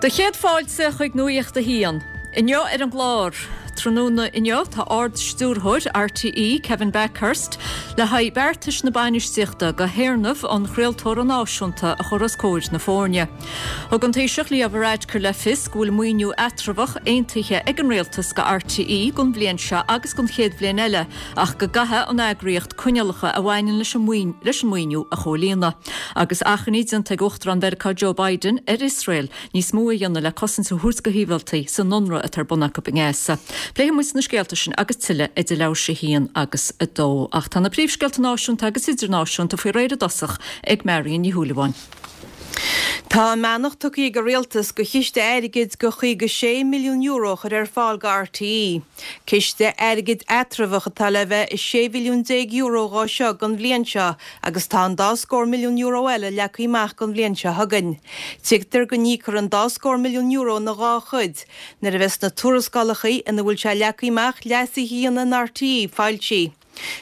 Do chéad fáilte chuig Nuacht a hAon. Inniu ar an gclár, tráthnóna inniu tá Ard-Stiúrthóir RTÉ, Kevin Bakhurst, le haghaidh beartais na bainistíochta do théarnamh an chraoltóra náisiúnta a chur os comhair na foirne. Thug an Taoiseach Leo Varadkar le fios go bhfuil maoiniú eatramhach aontaithe ag an Rialtas go RTÉ don bhliain seo agus don chéad bhliain eile ach go gcaithfidh an eagraíocht coinníollacha a bhaineann leis an maoiniú a chomhlíonadh. Agus achainí déanta ag Uachtarán Mheiriceá Joe Biden ar Iosrael níos mó a dhéanamh le cosaint a thabhairt do shibhialtaigh san ionradh atá ar bun acu i nGaza. Pléifidh muid na scéalta sin agus tuilleadh idir leathuair tar éis a haon agus a dó. Ach tá na príomhscéalta náisiúnta agus idirnáisiúnta faoi réir i dtosach ag Marion Ní Shúilleabháin. Tá a mbeannacht tugtha ag an Rialtas do chiste airgid de €56 milliún a chur ar fáil do RTÉ. Ciste airgid eatramhach atá le bheith €16 mhilliún dhó seo don bhliain seo agus tá an dá scór milliún euro eile leagtha amach don bhliain seo chugainn. Tuigtear go n-íocfar an dá scór milliún euro ina dhá chuid nuair a bheas na tuarascálacha ina bhfuil sé leagtha amach leasuithe a dhéanamh in RTÉ foilsithe.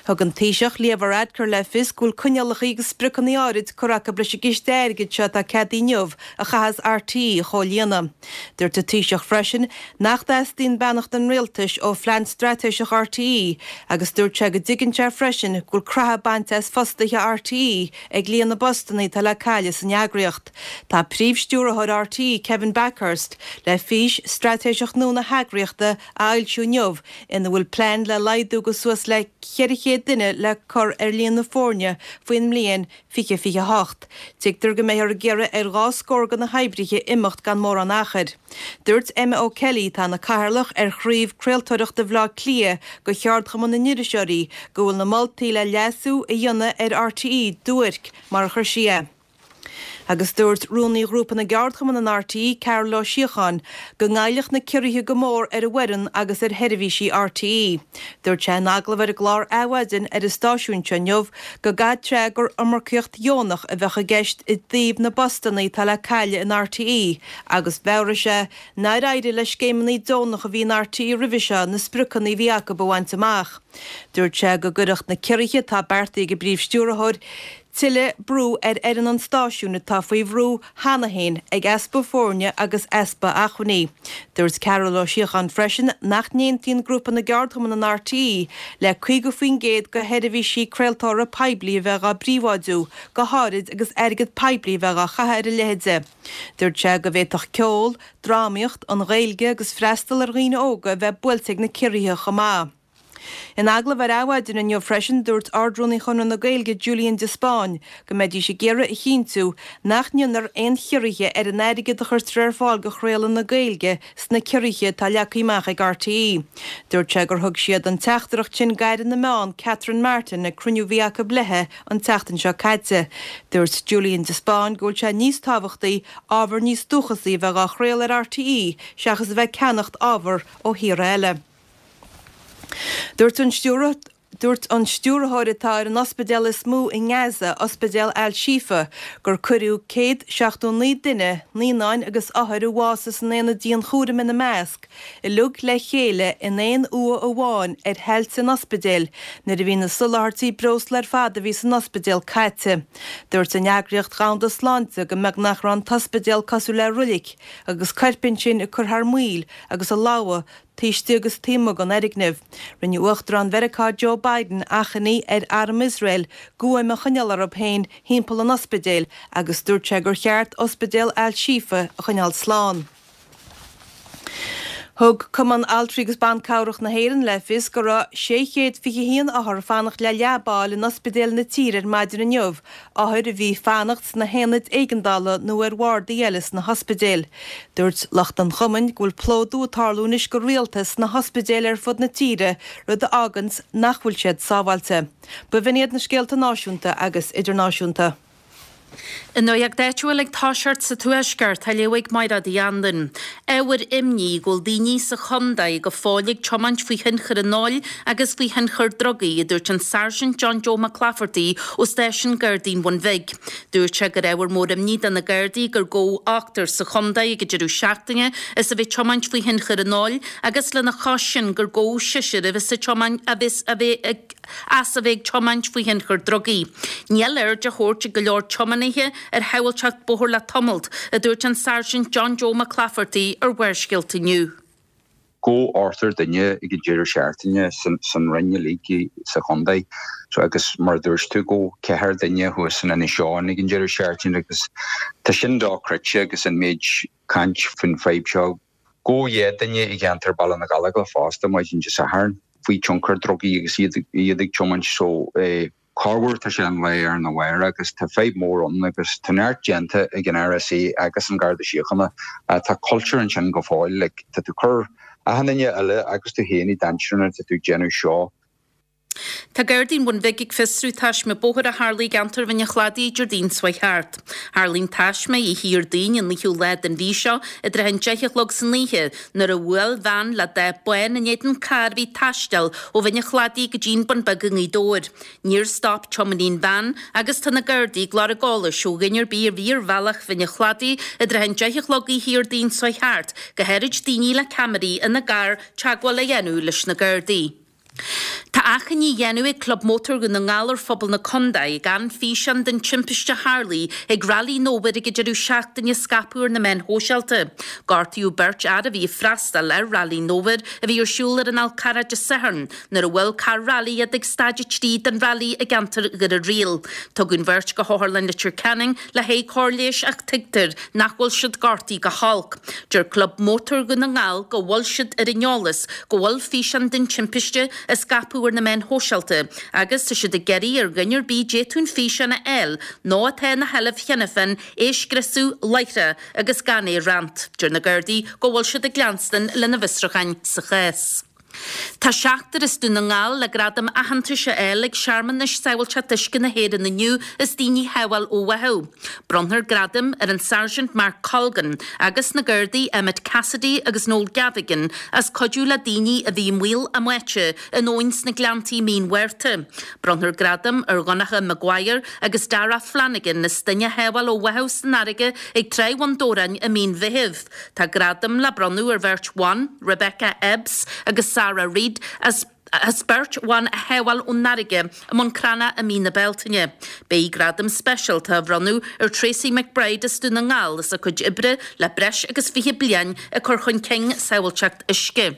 Thug an Taoiseach, Leo Varadkar le fios go bhfuil coinníollacha agus spriocanna áirid curtha acu leis an gciste airgid seo atá ceadaithe inniu a chaithfeas RTÉ a chomhlíonadh. Dúirt an Taoiseach freisin nach dteastaíonn beannacht an Rialtais ó phlean straitéiseach RTÉ agus dúirt sé go dtuigeann sé freisin go bhfuil croitheadh bainte as fostaithe RTÉ ag líon na bpostanna atá le cailleadh san eagraíocht. Tá Príomh-Stiúrthóir RTÉ, Kevin Bakhurst, le fís straitéiseach nua na heagraíochta a fhoilsiú inniu ina bhfuil plean le laghdú de suas le 400 duine le cur ar líon na foirne faoin mbliain 2028. Tuigtear go mbeifear ag iarraidh ar dhá scór de na hoibrithe imeacht gan mórán achair. Dúirt Emma O'Kelly, atá ina cathaoirleach ar chraobh craoltóireachta Bhaile Átha Cliath de Cheardchumann na nIriseoirí, go bhfuil na moltaí le leasú a dhéanamh ar RTÉ duairc, mar a chuir sí é. Agus dúirt Rúnaí Ghrúpa na gCeardchumann in RTÉ, Cearbhall Ó Síocháin, go ngoillfeadh na ciorruithe go mór ar an bhfoireann agus ar sheirbhísí RTÉ. Dúirt sé in agallamh ar an gclár Adhmhaidin ar an stáisiún seo inniu go gcaithfeadh sé gur iomarcaíocht dheonach a bheadh i gceist i dtaobh na bpostanna atá le cailleadh in RTÉ agus mheabhraigh sé nár éirigh le scéimeanna deonacha a bhí in RTÉ roimhe seo na spriocanna a bhí acu a bhaint amach. Dúirt sé go gcuirfeadh na ciorruithe atá beartaithe ag an bPríomh-Stiúrthóir tuilleadh brú ar fhoireann an stáisiúin atá faoi bhrú cheana féin ag easpa foirne agus easpa acmhainní. Dúirt Cearbhall Ó Síocháin freisin nach n-aontaíonn Grúpa na gCeardchumann in RTÉ le 50% de sheirbhísí craoltóra poiblí a bheith á bpríobháidiú, go háirid agus airgead poiblí a bheith á chaitheamh ar a leithéid. Dúirt sé go bhféadfadh ceol, drámaíocht, an Ghaeilge agus freastal ar dhaoine óga a bheith buailte ag na ciorruithe chomh maith. In agallamh ar Adhmhaidin inniu freisin, dúirt Ard-Rúnaí Chonradh na Gaeilge Julian de Spáinn go mbeidís ag iarraidh a chinntiú nach ndéanfar aon chiorruithe ar an airgead a chuirtear ar fáil do chraoladh na Gaeilge sna ciorruithe atá leagtha amach ag RTÉ. Dúirt sé gur thug siad an teachtaireacht sin d'Aire na Meán Catherine Martin ag cruinniú a bhí acu léi an tseachtain seo caite. Dúirt Julian de Spáinn go bhfuil sé níos tábhachtaí ábhar níos dúchasaí a bheith á chraoladh ar RTÉ seachas a bheith ag ceannacht ábhar ó thíortha eile. Dúirt an Dúirt an stiúrthóir atá ar an ospidéal is mó i nGaza, Ospidéal Al-Shifa, gur cuireadh 179 duine, naíonáin agus othair a bhásaigh san aonad dianchúraim ina measc, uilig le chéile in aon uaigh amháin ar thailte an ospidéil nuair a bhí na soláthairtí breosla ar fad a bhí san ospidéal caite. Dúirt an Eagraíocht Dhomhanda Sláinte go mbeagnach raibh an t-ospidéal cosúil le roilic agus coirp ansin ag cur thar maoil agus ag lobhadh taobh istigh agus taobh amuigh den fhoirgneamh. Rinne Uachtarán Mheiriceá Joe Biden achainí ar arm Iosrael guaim a choinneáil orthu féin thimpeall an ospidéil agus dúirt sé gur cheart Ospidéal Al-Shifa a choinneáil slán. Thug Cumann Altraí agus Ban Cabhrach na hÉireann le fios go raibh 621 othar ag fanacht le leaba a fháil in ospidéil na tíre ar maidin inniu othair a bhí ag fanacht sna haonaid éigeandála nó ar bhardaí eile sna hospidéil. Dúirt lucht an chumainn go bhfuil plódú ag tarlú anois go rialta sna hospidéil ar fud na tíre, rud a fháganns nach bhfuil siad sábháilte. B'in iad na scéalta náisiúnta agus idirnáisiúnta. An nuacht áitiúil ag toiseacht sa Tuaisceart, á léamh ag Mairéad Uí Anluain. Ábhar imní go bhfuil daoine sa chontae go fóill ag tiomáint faoi thionchar an óil agus faoi thionchar drugaí, a dúirt an Sáirsint John Joe McClafferty ó Stáisiún Gardaí an Bhun Bhig. Dúirt sé gur ábhar mór imní do na Gardaí gur gabhadh ochtar sa chontae ag an deireadh seachtaine as a bheith ag tiomáint faoi thionchar an óil agus lena chois sin gur gabhadh seisear a bheas ag tiomáint a bheas a bheith ag as a bheith ag tiomáint faoi thionchar drugaí. Níl aird á thabhairt ag go leor tiománaithe ar shábháilteacht bóthair le tamalt, a dúirt an Sáirsint John Joe Mac Laifeartaigh ar Bharrscéalta inniu. Gabhadh ochtar duine ag an deireadh seachtaine san Rinn uilig sa chontae agus mar a dúirt tú gabhadh ceathrar duine thuas in Inis Eoghain ag an deireadh seachtaine agus tá sin dochreidte agus an méid caint faoin fadhb seo. Gabhadh 2 duine i gceantar Baile na Gallóglach fosta maidin Dé Sathairn faoi tionchar drugaí agus iad ag tiomáint so corruair tá sé an lá arna mhárach agus tá fadhb mór ann agus tá neart déanta ag an RSA agus an Garda Síochána ach tá cultúr ansin go fóill like tá tú cur achan duine eile agus tú féin i dainséar nuair atá tú ag déanamh seo. Tá Gardaí an Bhun Bhig ag fiosrú taisme bóthair a tharlaigh i gceantar Bhinn an Chladaigh Déardaoin seo thart. Tharlaigh an taisme oíche Dhéardaoin an 9ú lá den mhí seo i dtrátha an 10 a chlog san oíche nuair a bhuail veain le dath bán in éadan carr a bhí ag taisteal ó Bhinn an Chladaigh go dtí'n Bun Beag i nGaoth Dobhair. Níor stop tiománaí an veain agus tá na Gardaí ag lorg eolais ó dhuine ar bith a bhí ar bhealach Bhinn an Chladaigh i dtrátha an 10 a chlog oíche Dhéardaoin seo thart, go háirid daoine le ceamaraí ina gcarr, teagmháil a dhéanamh leis na Gardaí. Tá achainí á dhéanamh ag Club Mótar Dhún na nGall ar phobal na condae gan físeán den timpiste a tharlaigh ag Railí an Fhómhair ag an deireadh seachtaine a scaipeadh ar na meáin shóisialta. Gortaíodh beirt fhear a bhí ag freastal ar Railí an Fhómhair a bhí ar siúl ar an Fhál Carrach Dé Sathairn nuair a bhuail carr railí iad ag staid 3 den railí i gceantar Dhoire Riail. Tugadh an bheirt go hOtharlann Leitir Ceanainn le haghaidh cóir leighis ach tuigtear nach bhfuil siad gortaithe go holc. Deir Club Mótar Dhún na nGall go bhfuil siad ar an eolas go bhfuil físeán den timpiste á scaipeadh ar na meáin shóisialta agus tá siad ag iarraidh ar dhuine ar bith a d'fhéadfadh an físeán a fháil nó atá ina sheilbh cheana féin é a scriosadh láithreach agus gan é a roinnt. Deir na Gardaí go bhfuil siad ag leanstan lena bhfiosrúcháin sa chás. Tá seachtar as Dún na nGall le gradam aitheantais a fháil ag searmanais Sábháilteacht Uisce na hÉireann inniu as daoine a shábháil ó bháthadh. Bronnfar gradaim ar an Sáirsint Mark Colgan agus na Gardaí Emmet Cassidy agus Noel Gavigan as cuidiú le daoine a bhí i mbaol a mbáite in abhainn sna Gleanntaí i mí an Mhárta. Bronnfar gradam ar Dhonncha Maguire agus Darragh Flanagan as duine a shábháil ó bháthadh san fharraige ag Tráigh Bhun Dobhráin i mí an Mheithimh. Tá gradam le bronnadh ar bheirt bhan, Rebecca Ebbs agus Sarah Reid, as as beirt bhan a shábháil ón fharraige i mBun Cranncha i mí na Bealtaine. Beidh gradam speisialta á bhronnadh ar Tracey McBride as Dún na nGall as a cuid oibre le breis agus 20 bliain ag cur chun cinn sábháilteacht uisce.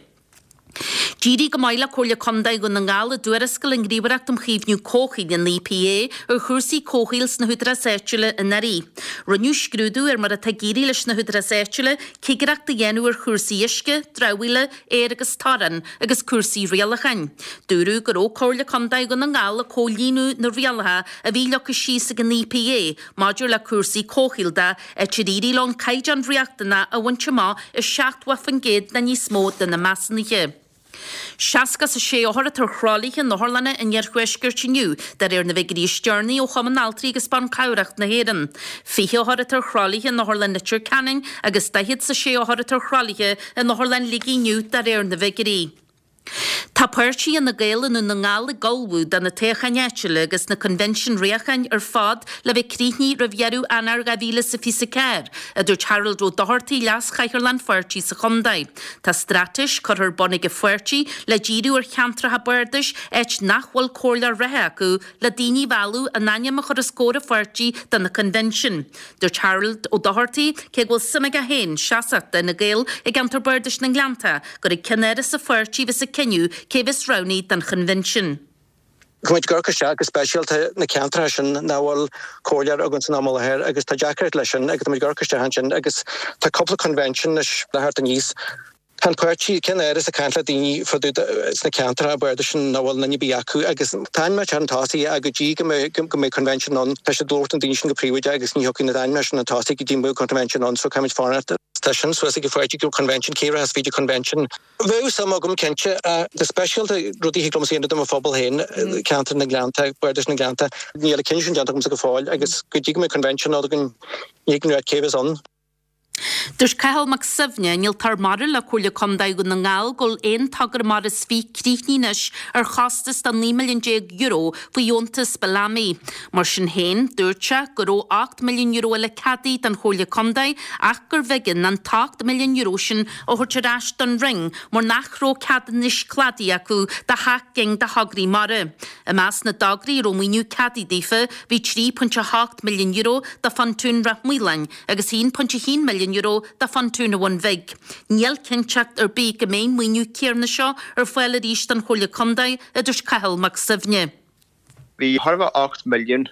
D'éirigh go maith le Comhairle Contae Dhún na nGall i dtuarascáil an Ghníomhaireacht um Chaomhnú Comhshaoil, an EPA, ar chúrsaí comhshaoil sna húdaráis áitiúla anuraidh. Rinneadh scrúdú ar mar atá ag éirí leis na húdaráis áitiúla cigireacht a dhéanamh ar chúrsaí uisce, dramhaíola, aeir agus torainn agus cúrsaí rialacháin. Dúradh go raibh Comhairle Contae Dhún na nGall ag comhlíonadh na rialacha a bhí leagtha síos ag an EPA maidir le cúrsaí comhshaoil de, áit ar éirigh leo an caighdeán riachtanach a bhaint amach i 70% nó níos mó de na measúnuithe. 66 othar atá ar thralaithe in otharlanna an iarthuaiscirt inniu, de réir na bhfigiúirí is deireanaí ó Chumann Altraí agus Ban Cabhrach na hÉireann. 20 othar atá ar thralaithe in Otharlann Leitir Ceanainn agus 46 othar atá ar thralaithe in Otharlann Shligigh inniu, de réir na bhfigiúirí. Tá páirtí Fhine Gael i nDún na nGall ag ullmhú do na toghcháin áitiúla agus na coinbhinsin riaracháin ar fad le bheith críochnaithe roimh dheireadh Eanáir 2024, a dúirt Harold Ó Dochartaigh, leas-chathaoirleach an pháirtí sa chontae. Tá straitéis curtha ar bun ag an pháirtí le díriú ar cheantracha bardais áit nach bhfuil comhairleoir reatha acu le daoine a mhealladh a n-ainm a chur os comhair an pháirtí do na coinbhinsin. Dúirt Harold Ó Dochartaigh, cé go bhfuil suim aige féin seasamh d'Fhine Gael i gceantar bardais na nGleannta, gur ag ceannáras an pháirtí a bheas an cinneadh cé a bheas roghnaithe don choinbhinsean. Tá muid ag amharc isteach go speisialta na ceantracha sin nach bhfuil comhairleoir againn san am i láthair agus tá deacracht leis sin agus tá muid ag amharc isteach ansin agus tá cúpla coinbhinsean anois le theacht aníos. Tá an páirtí, ceannáras ag caint le daoine fá dtaobh sna ceantracha bardais sin nach bhfuil duine ar bith acu agus tá ainmneacha chun tosaigh ach go dtí go mbeidh go mbeidh coinbhinsean ann tá siad ag labhairt na daoine sin go príobháideach agus ní thiocfaidh na ainmneacha sin chun tosaigh go dtí go mbeidh coinbhinsean ann so caithfimid fanacht. Tá sin suas ag an pháirtí go coinbhinsean, cé rachas fríd an coinbhinsean? Bheadh suim agam cinnte. Go speisialta rudaí a thig liomsa a dhéanamh do mo phobal féin, ceantar na nGleannta, Bardais na nGleannta. Níl an cinneadh sin déanta agamsa go fóill agus go dtí go mbeidh coinbhinsean againn ní thig liom a rá cé bheas ann. Dúirt Cathal Mac Suibhne, Innealtóir Mara le Comhairle Contae Dhún na nGall go bhfuil aon togra mara is fiche críochnaithe anois ar chostas de €19 milliún faoi dheontas Bellamy. Mar sin féin, dúirt sé go raibh €8 milliún eile ceadaithe don Chomhairle Contae ach gurbh éigean an t-€8 milliún sin a thabhairt ar ais don Roinn mar nach raibh ceadúnais cladaigh acu do sheacht gcinn de thograí mara. I measc na dtograí a raibh maoiniú ceadaithe daofa bhí €3.8 milliún do phontún Ráth Maoláin, agus €1.1 milliún do phontún an Bhun Bhig. Níl cinnteacht ar bith go mbeidh an maoiniú céarna seo ar fáil arís don Chomhairle Contae, a dúirt Cathal Mac Suibhne. Bhí chóir a bheith €8 milliún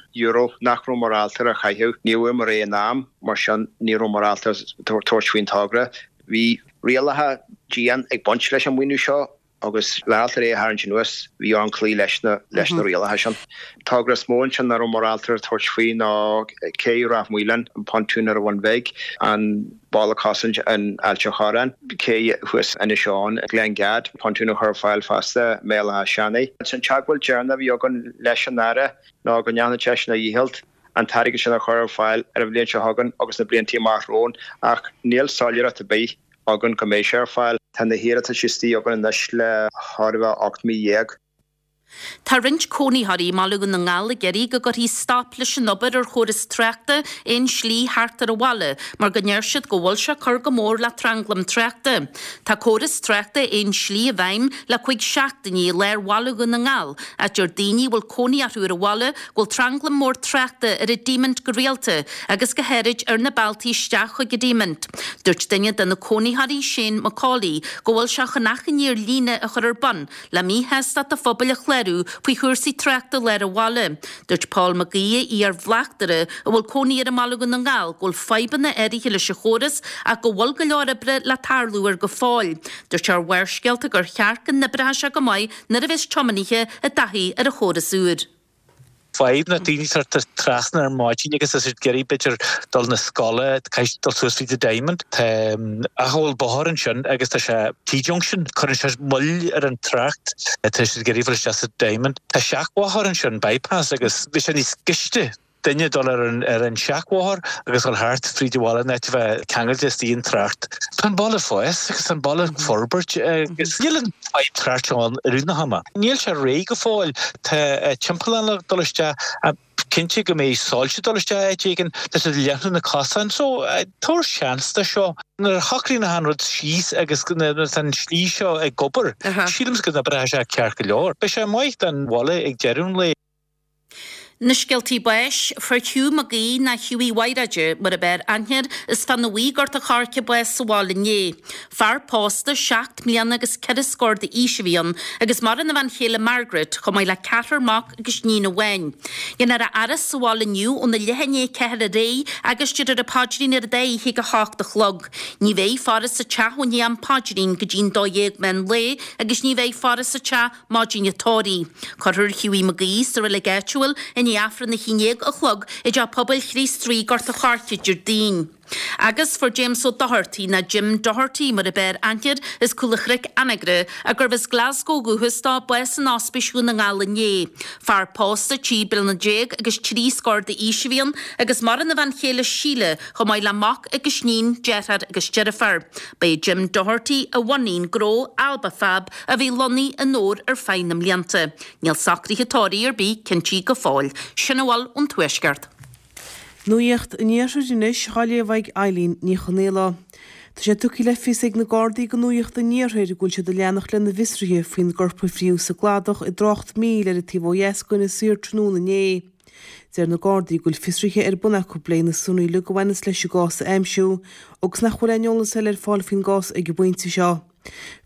nach raibh mar ábalta a chaitheamh. Ní rabhamar in am, mar sin ní rabhamar ábalta tabhairt faoin togra. Bhí rialacha dian ag baint leis an maoiniú seo agus le ábalta é a tharraingt anuas, bhí orainn cloí leis na leis na rialacha sin. Togra is mó ansin nach rabhamar ábalta tabhairt faoi ná cé Ráth Maoláin, an pontún ar an Bhun Bhig, an balla cosaint in Ailt an Chorráin, cé thuas Inis Eoghain, Gleann Gad, pontún a chur ar fáil fosta i mBéal Átha Seanaidh. An teagmháil deireanach a bhí againn leis an Aire ná go ndéanfadh seisean a dhícheall an t-airgead sin a chur ar fáil ar an bhliain seo chugainn agus na blianta amach romhainn ach níl soiléireacht ar bith againn go mbeidh sé ar fáil. Tá na hiarratais istigh againn anois le chóir a bheith 18 mí. Tá roinnt cónaitheoirí i mBaile Dhún na nGall ag iarraidh go gcuirfí stop leis an obair ar chóras tráchta aon slí thart ar an bhaile mar go ndeir siad go bhfuil sé ag cur go mór le tranglam tráchta. Tá córas tráchta aon slí i bhfeidhm le cuig seachtainí i lár bhaile Dhún na nGall ach deir daoine a bhfuil cónaí orthu ar an bhaile go bhfuil tranglam mór tráchta ar an Diamond go rialta agus go háirid ar na bealtaí isteach chuig an Diamond. Dúirt duine de na cónaitheoirí, Shane McCauley, go bhfuil sé chun achainí ar líne a chur ar bun le míshástacht an phobail a chlárú faoi chúrsaí tráchta lár an bhaile. Dúirt Paul Mac Aoidh, iar-bhleachtaire a bhfuil cónaí air i mBaile Dhún na nGall, go bhfuil fadhbanna áirithe leis an chóras ach go bhfuil go leor oibre le tarlú air go fóill. Dúirt sé ar Bharrscéalta gur cheart go n-oibreodh sé go maith nuair a bheas tiománaithe i dtaithí ar an chóras úr. Fadhb na daoine sort of trasna ar maidin agus tá siad ag iarraidh b'fhéidir dul na scoile, caithfidh siad dul suas fríd the Diamond. Tá acomhal bóthair ansin agus tá sé T-junction, cuireann sé moill ar an trácht, tá siad ag iarraidh dul isteach sa Diamond. Tá seachbhóthar ansin, bypass, agus bhí sé níos gaiste duine dul ar an ar an seachbhóthar agus dul thart fríd an bhaile in áit a bheith ceangailte istigh an trácht. Tá an baile ag fás agus tá an baile ag forbairt agus níl an fadhb trácht seo ann i rith na hama. Níl sé réidh go fóill. Tá timpeallán le dul isteach. Cinnte go mbeidh soilse dul isteach áit éigin. Tá siad ag leathnú na cosáin. So, tabhair seans do seo. Nuair a shocraíonn achan rud síos agus nuair atá an slí seo ag obair, sílim go n-oibreoidh sé ceart go leor. Beidh sé maith don bhaile ag deireadh an lae. Na scéaltaí báis, Fuair Hugh Mac Aoidh ná Hughie Mhaíréide mar ab fhearr aithne air as Fána Bhuí Gort a' Choirce bás sa bhaile inné. Fear pósta, seacht mbliana agus ceithre scór d'aois a bhí ann agus maireann a bhean chéile Margaret chomh maith le ceathrar mac agus níon amháin. Déanfar a fhaire sa bhaile inniu óna leath i ndiaidh 4 ar aghaidh agus déarfar an paidrín ar an dá oíche ag 8 a chlog. Ní bheidh faire sa teach ó ndiaidh an paidrín go dtí'n 12 meán lae agus ní bheidh faire sa teach Maidin an tórraimh. Cuirfear Hughie Mac Aoidh sa reilig áitiúil i ndiaidh Aifreann 11 a chlog i dTeach Pobail Chríost Rí, Gort a' Choirce, Déardaoin. Agus fuair James Ó Dochartaigh, ná Jim Doherty mar ab fhearr aithne air, as Cúl a' Chnoic, Anagaire, a gurbh as Glasgow ó dhúchas dó, bás in Ospís Dhún na nGall inné. Fear pósta, 13 bliana agus trí scór d'aois a bhí ann agus maireann a bhean chéile Síle chomh maith le mac agus níon, deartháir agus deirfiúr. Ba é Jim Doherty a bhunaigh an gnó Alba Fab a bhí lonnaithe i nDobhar ar feadh na mblianta. Níl socruithe tórraimh ar bith cinntithe go fóill. Sin a bhfuil ón Tuaisceart. Nuacht an Iarthair anois á léamh ag Eileen Ní Chonaola. Tá sé tugtha le fios ag na Gardaí do Nuacht an Iarthair go bhfuil siad ag leanacht lena bhfiosruithe faoin gcorp a fríodh sa gcladach i dtrácht Míl ar an taobh ó dheas d'Inis Oírr tráthnóna inné. Deir na Gardaí go bhfuil fiosruithe ar bun acu le na sonraí uilig a bhaineas leis an gcás a aimsiú agus nach bhfuil aon eolas eile ar fáil faoin gcás ag an bpointe seo.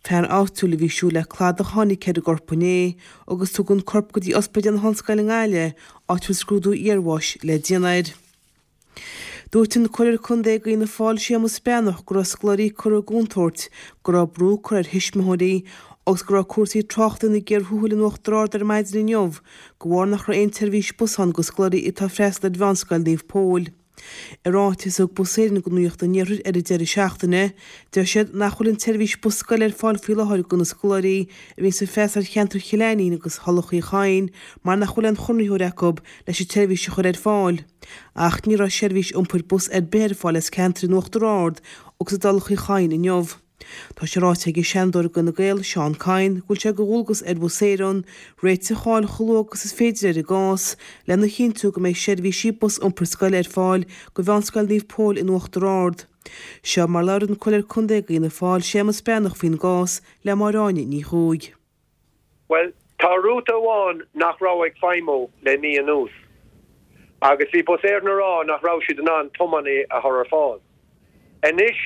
Fear áitiúil a bhí ag siúl le cladach a tháinig ar an gcorp inné agus tugadh an corp go dtí Ospidéal na hOllscoile i nGaillimh, áit a bhfuil scrúdú iarbháis le déanamh air. Dúirt an Comhairleoir Contae d'Fhianna Fáil Séamus Breathnach go raibh scoláirí curtha i gcontúirt, go raibh brú curtha ar thuismitheoirí agus go raibh cúrsaí tráchta ina gcíor thuathail in Uachtar Ard ar maidin inniu de bharr nach raibh aon tseirbhís bus ann do scoláirí atá ag freastal ar Mheánscoil Naomh Pól. I ráiteas a thug Bus Éireann do Nuacht an Iarthair ar an deireadh seachtaine, deir siad nach bhfuil an tseirbhís bus scoile ar fáil faoi láthair do na scoláirí a bhíonns ag freastal ar cheantar Chill Ainnín agus Thulach Uí Chadhain mar nach bhfuil aon chonraitheoir acu leis an tseirbhís a chur ar fáil. Ach ní raibh seirbhís iompair bus ar bith ar fáil as ceantar in Uachtar Ard agus i dTulach Uí Chadhain inniu. Tá sé ráite ag an Seanadóir d'Fhine Gael, Seán Kyne, go bhfuil sé de dhualgas ar Bhus Éireann réiteach a fháil chomh luath agus is féidir ar an gcás lena chinntiú go mbeidh seirbhísí bus iompair scoile ar fáil do Mheánscoil Naomh Pól in Uachtar Ard. Seo mar labhair an Comhairleoir Contae d'Fhianna Fáil, Séamus Breathnach faoin gcás le Máire Áine Ní Chuaig. Bhuel, tá rúta amháin nach raibh ag feidhmiú le mí anuas agus bhí Bus Éireann a rá nach raibh siad in ann tiománaí a chur ar fáil. Anois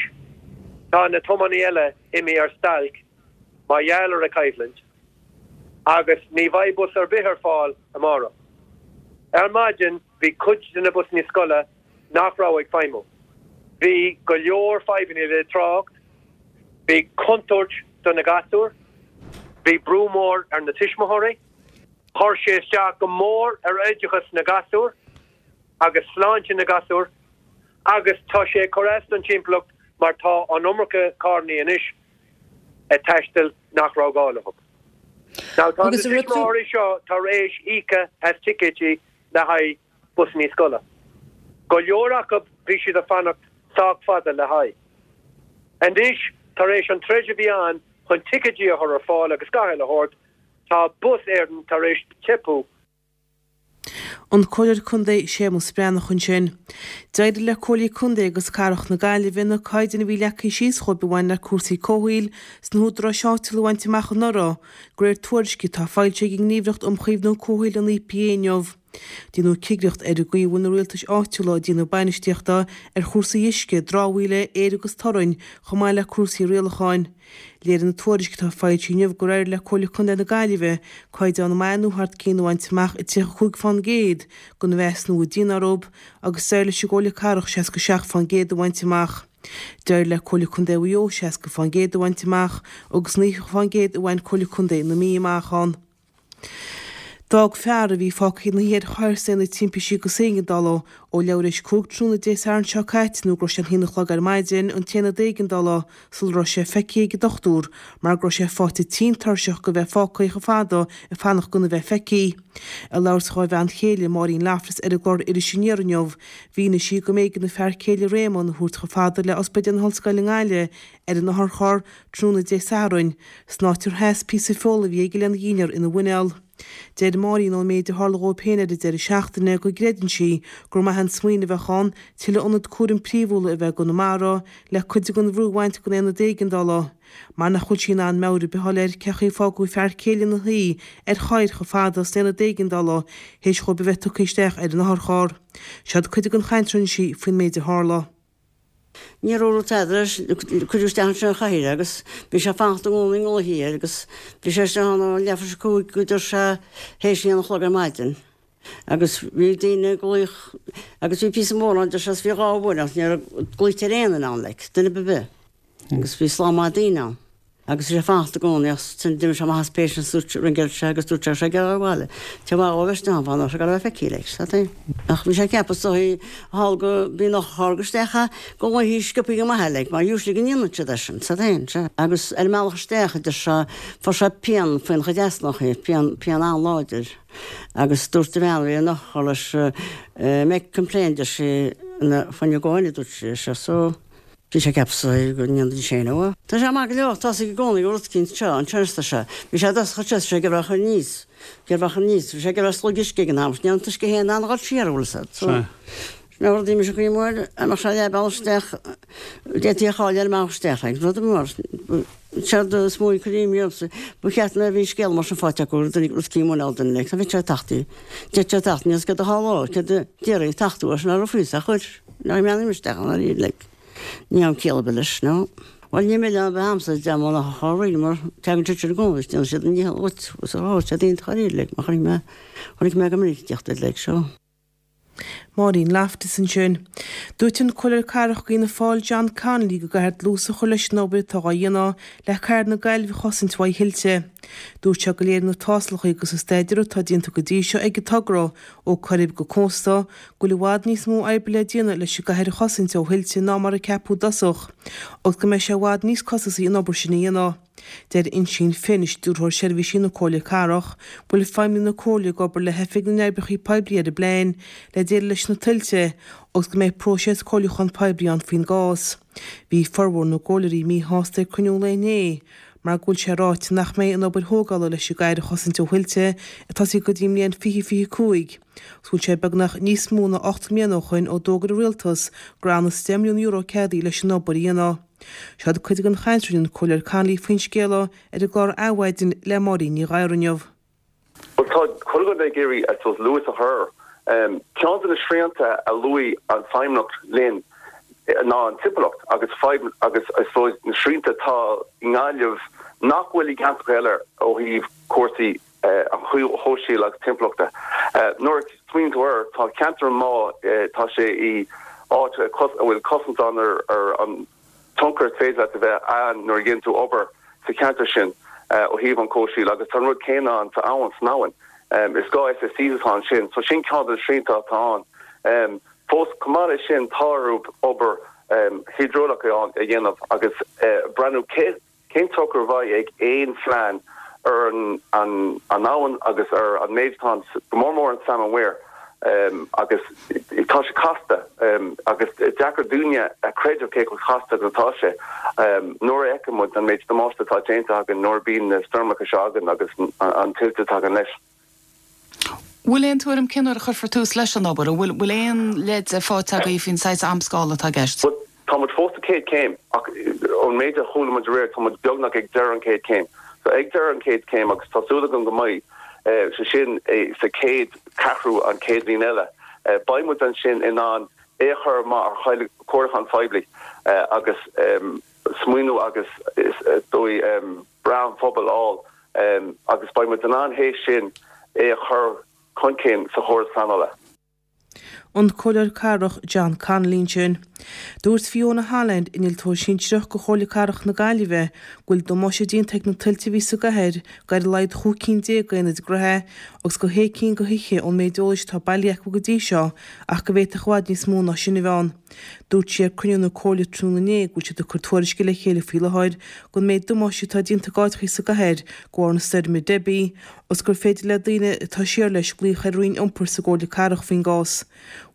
tá na tiománaí eile imithe ar stailc mar gheall ar an choimhlint agus ní bheidh bus ar bith ar fáil amárach. Ar maidin bhí cuid de na busanna scoile nach raibh ag feidhmiú. Bhí go leor fadhbanna le trácht, bhí contúirt do na gasúir, bhí brú mór ar na tuismitheoirí, chuir sé isteach go mór ar oideachas na gasúr agus sláinte na gasúr agus tá sé ag cur as don timpeallacht mar tá an iomarca carrannaí anois ag taisteal nach raibh gá leo. Now tá na tuismitheoirí seo tar éis íoca as ticéidí le haghaidh busannaí scoile. Go leor acu bhí siad ag fanacht sách fada le haghaidh. Anois, tar éis an troid a bhí ann chun ticéidí a chur ar fáil agus gach uile shórt, tá Bus Éireann tar éis teipeadh. An Comhairleoir Contae Séamus Breathnach ansin. D'éirigh le Comhairlí Contae agus Cathrach na Gaillimhe na caighdeáin a bhí leagtha síos dhóibh a bhain le cúrsaí comhshaoil sna húdaráis áitiúla a bhaint amach anuraidh, de réir tuairisce atá foilsithe ag an nGníomhaireacht um Chaomhnú Comhshaoil, an EPA, inniu. Déanadh cigireacht ar an gcaoi a bhfuil na rialtais áitiúla ag déanamh bainistíochta ar chúrsaí uisce, dramhaíola, aeir agus torainn, chomh maith le cúrsaí rialacháin. Léirigh an tuairisc atá foilsithe inniu gur éirigh le Comhairle Contae na Gaillimhe caighdeán maith nó thar cionn a bhaint amach i 35% den mheasúnú a déanadh orthu agus d'éirigh leis an gComhairle Cathrach 67% a bhaint amach. D'éirigh le Comhairle Contae Mhaigh Eo 60% a bhaint amach agus 90% a bhain Comhairle Contae na Mí amach ann. D'fhág fear a bhí fágtha ina shuí ar chathaoir san aonad timpistí agus éigeandála ó leathuair éis 5 tráthnóna Dé Sathairn seo caite nó go raibh sé an haon a chlog ar maidin an t-aonad éigeandála sula raibh sé feicthe ag an dochtúir mar go raibh sé faighte tinn tuirseach de bheith fágtha chomh fada ag fanacht gona bheith feicthe. Ag labhairt dhá bhean chéile, Máirín Loftus ar an gclár Iris Aniar inniu, mhínigh sí go mb'éigean a fear céile Réamonn a thabhairt chomh fada le Ospidéal na hOllscoile i nGaillimh ar an otharcharr tráthnóna Dé Sathairn, san áit ar sheas píosa feola a bhí aige lena dhinnéar ina mhuineál. Deir Máirín ón méid a tharla dhóibh féin ar an deireadh seachtaine go gcreideann sí gur maith an smaoineamh a bheadh ann tuilleadh ionad cúraim príomhúla a bheith i gConamara le cuid den bhrú a bhaint den aonad éigeandála mar nach bhfuil sí in ann meabhair ar bith a fháil air cén chaoi ar fágadh a fear céile ina shuí ar chathaoir chomh fada san aonad éigeandála théis dhóibh a bheith tugtha isteach ar an otharcharr. Seod cuid den chaint a rinne sí faoin méid a tharla. Níor dhúradh tada leis, cuireadh isteach ansin ar chathaoir é agus bhí sé ag fanacht i gcónaí i nglaoití air agus bhí sé isteach ann ó leathuair tar éis a 5 go dtí sé théis a haon a chlog ar maidin agus bhí daoine ag glaoch agus bhí píosa mór ann deir sé is bhí dhá uair ach ní raibh glaoite ar aon duine ann like, duine ar bith. Agus bhí slám maith daoine ann. Agus bhí sé ag fanacht i gcónaí ach ansin d'imigh sé amach as patients dúirt ringeáil sé agus dúirt sé go raibh sé ag iarraidh a bhaile. Tá mhaith dhó bheith isteach ann fá nach raibh sé ag iarraidh a bheith feicthe like, sa tae. Ach bhí sé ag ceapadh is dóigh thall go bhí an otharcharr go isteach a go nglaofaí sciobthaí go maith air like mar usually go ndéanann siad é sin, sa tae, sea. Agus ar an mbealach isteach a deir sé fuair sé pian faoina chuid easnachaí, pian, pian an-láidir. Agus dúirt an bhean a bhí ar an otharcharr leis make complain deir sí ina when you go in a dúirt sí, so. Bhí sé ag ceapadh is dóigh go ndéanfaidís féin é. Tá sé maith go leor, tá sé i gcónaí go rud eicínt seo, an turas tá sé. Bhí sé i dtosach anseo, tá sé ag iarraidh a chur aníos, ag iarraidh a chur aníos, bhí sé ag iarraidh slog uisce ag an am, ní raibh an t-uisce féin in ann a dhul siar, bhfuil fhios a'd. So, sin é rudaí mise caoi mór, a mbeadh sé leath bealach isteach, d'fhéadfaí a chailleadh ar an mbealach isteach, like, rud mar, séard is mó a chuir imní ormsa, ba cheart nuair a bhí scéal mar sin faighte acu, rud rud eicínt muineál duine, like, tá bheadh sé ag teacht, d'fhéadfadh sé teacht, níl fhios céard a tharlódh, céard a déarfaí, teacht uaidh, sin a raibh fios ach chuir. Ní mheannaím isteach an oiread like. Ní ann ciall ar bith leis, no. Bhuel ní milleán ar bith a'msa deam an otharcharr really mar teagann siad sin i gcónaí is déanann siad a ndícheall dhuit agus a rá siad iontach dáiríre like mar chonaic mé, chonaic mé go minic ag tíocht air like so. Máirín Loftus ansin. Dúirt an Comhairleoir Cathrach d'Fhianna Fáil John Connolly go gcaithfear dlús a chur leis an obair atá á dhéanamh le cathair na Gaillimhe a chosaint uaidh thuilte. Dúirt sé go léiríonn na tástálacha agus an staidéar atá déanta go dtí seo ag an togra ó Coirib go cósta go bhfuil i bhfad níos mó oibre le déanamh leis an gcathair a chosaint ó thuilte ná mar a ceapadh i dtosach agus go mbeidh sé i bhfad níos costasaí an obair sin a dhéanamh. Deir Uinsíonn Finn, Stiúrthóir Seirbhísí na Comhairle Cathrach, go bhfuil feidhmeannaigh na Comhairle ag obair le hOifig na nOibreacha Poiblí ar an bplean le déileáil leis na tuilte agus go mbeidh próiseas comhairliúcháin poiblí ann faoin gcás. Bhí formhór na gcomhairleoirí míshásta ag cruinniú an lae inné mar go bhfuil sé ráite nach mbeidh an obair thógála leis an gcathair a chosaint ó thuilte ag tosaí go dtí an mbliain 2025 agus go bhfuil sé beagnach níos mó ná 8 mbliana ó shoin ó d'fhógair an Rialtas go raibh anuas €10 milliún ceadaithe leis an obair a dhéanamh. Seo cuid den chaint a rinne an Comhairleoir Connolly faoin scéal ar an gclár Adhmhaidin le Máirín Ní Ghadhra inniu. Bhuel, tá chuile dhuine ag iarraidh, I suppose, luas a chur. Ceann de na srianta a luaigh an Feidhmeannacht linn ná an timpeallacht agus fadhb agus, I suppose, na srianta atá i nGaillimh nach bhfuil i gceantracha eile ó thaobh cúrsaí an chomhshaoil agus timpeallachta. Nuair a smaoiníonn tú air, tá ceantar an Mhá, tá sé i áit a bhfuil cosaint ann ar an tionchar is féidir leat a bheith ann nuair a dhéanann tú obair sa cheantar sin ó thaobh an chomhshaoil agus tá an rud céanna ann sa abhainn, san abhainn. Is gá SSCs atá ansin so sin ceann de na srianta atá ann. Fós, chomh maith leis sin, tá orthu obair hiodrálach a dhéanamh agus breathnú cé Cén tionchar a bheidh ag aon phlean ar an abhainn agus ar an méid atá ann, go mór mór an Salmon Weir? Agus tá sé casta agus deacair dúinne a chreideamh cé chomh casta agus atá sé nuair a fheiceann muid an méid damáiste atá déanta againn nuair a bíonn na stoirmeacha seo againn agus an tuilte a thagann leis. Bhfuil aon tuairim cén uair a chuirfear tús leis an obair? An bhfuil bhfuil aon leid faighte agaibh faoin saghas amscála atá i gceist? Bhuel, tá muid fós sa chéad chéim ach ón méid a chuala muid aréir, tá muid beagnach ag deireadh an chéad chéim. So ag deireadh an chéad chéim agus tá súil agam go mbeidh sé sin sa chéad cheathrú an chéad bhliain eile, beidh muid ansin in ann é a chur amach ar chomhairliúchán phoiblí agus smaoineamh agus is dóigh breith an phobail a fháil agus beidh muid in ann théis sin é a chur chun cinn sa chóras pleanála. An Comhairleoir Cathrach John Connolly ansin. Dúirt Fiona Holland, Innealtóir Sinsearach go Chomhairle Cathrach na Gaillimhe, go bhfuil damáiste déanta ag na tuilte a bhí sa gcathair go ar a laghad chúig cinn déag d'aonaid gnaithe agus go shé cinn de thithe ón méid eolais atá bailithe acu go dtí seo ach go bhféadfadh i bhfad níos mó ná sin a bheith ann. Dúirt sí ag cruinniú na Comhairle tráthnóna inné go bhfuil siad ag cur tuairisce le chéile faoi láthair den méid damáiste atá déanta ag áiteachaí sa gcathair de bharr na stoirme Debbie agus gur féidir le daoine atá siar leis glaoch ar an Roinn Iompair sa gComhairle Cathrach faoin gcás.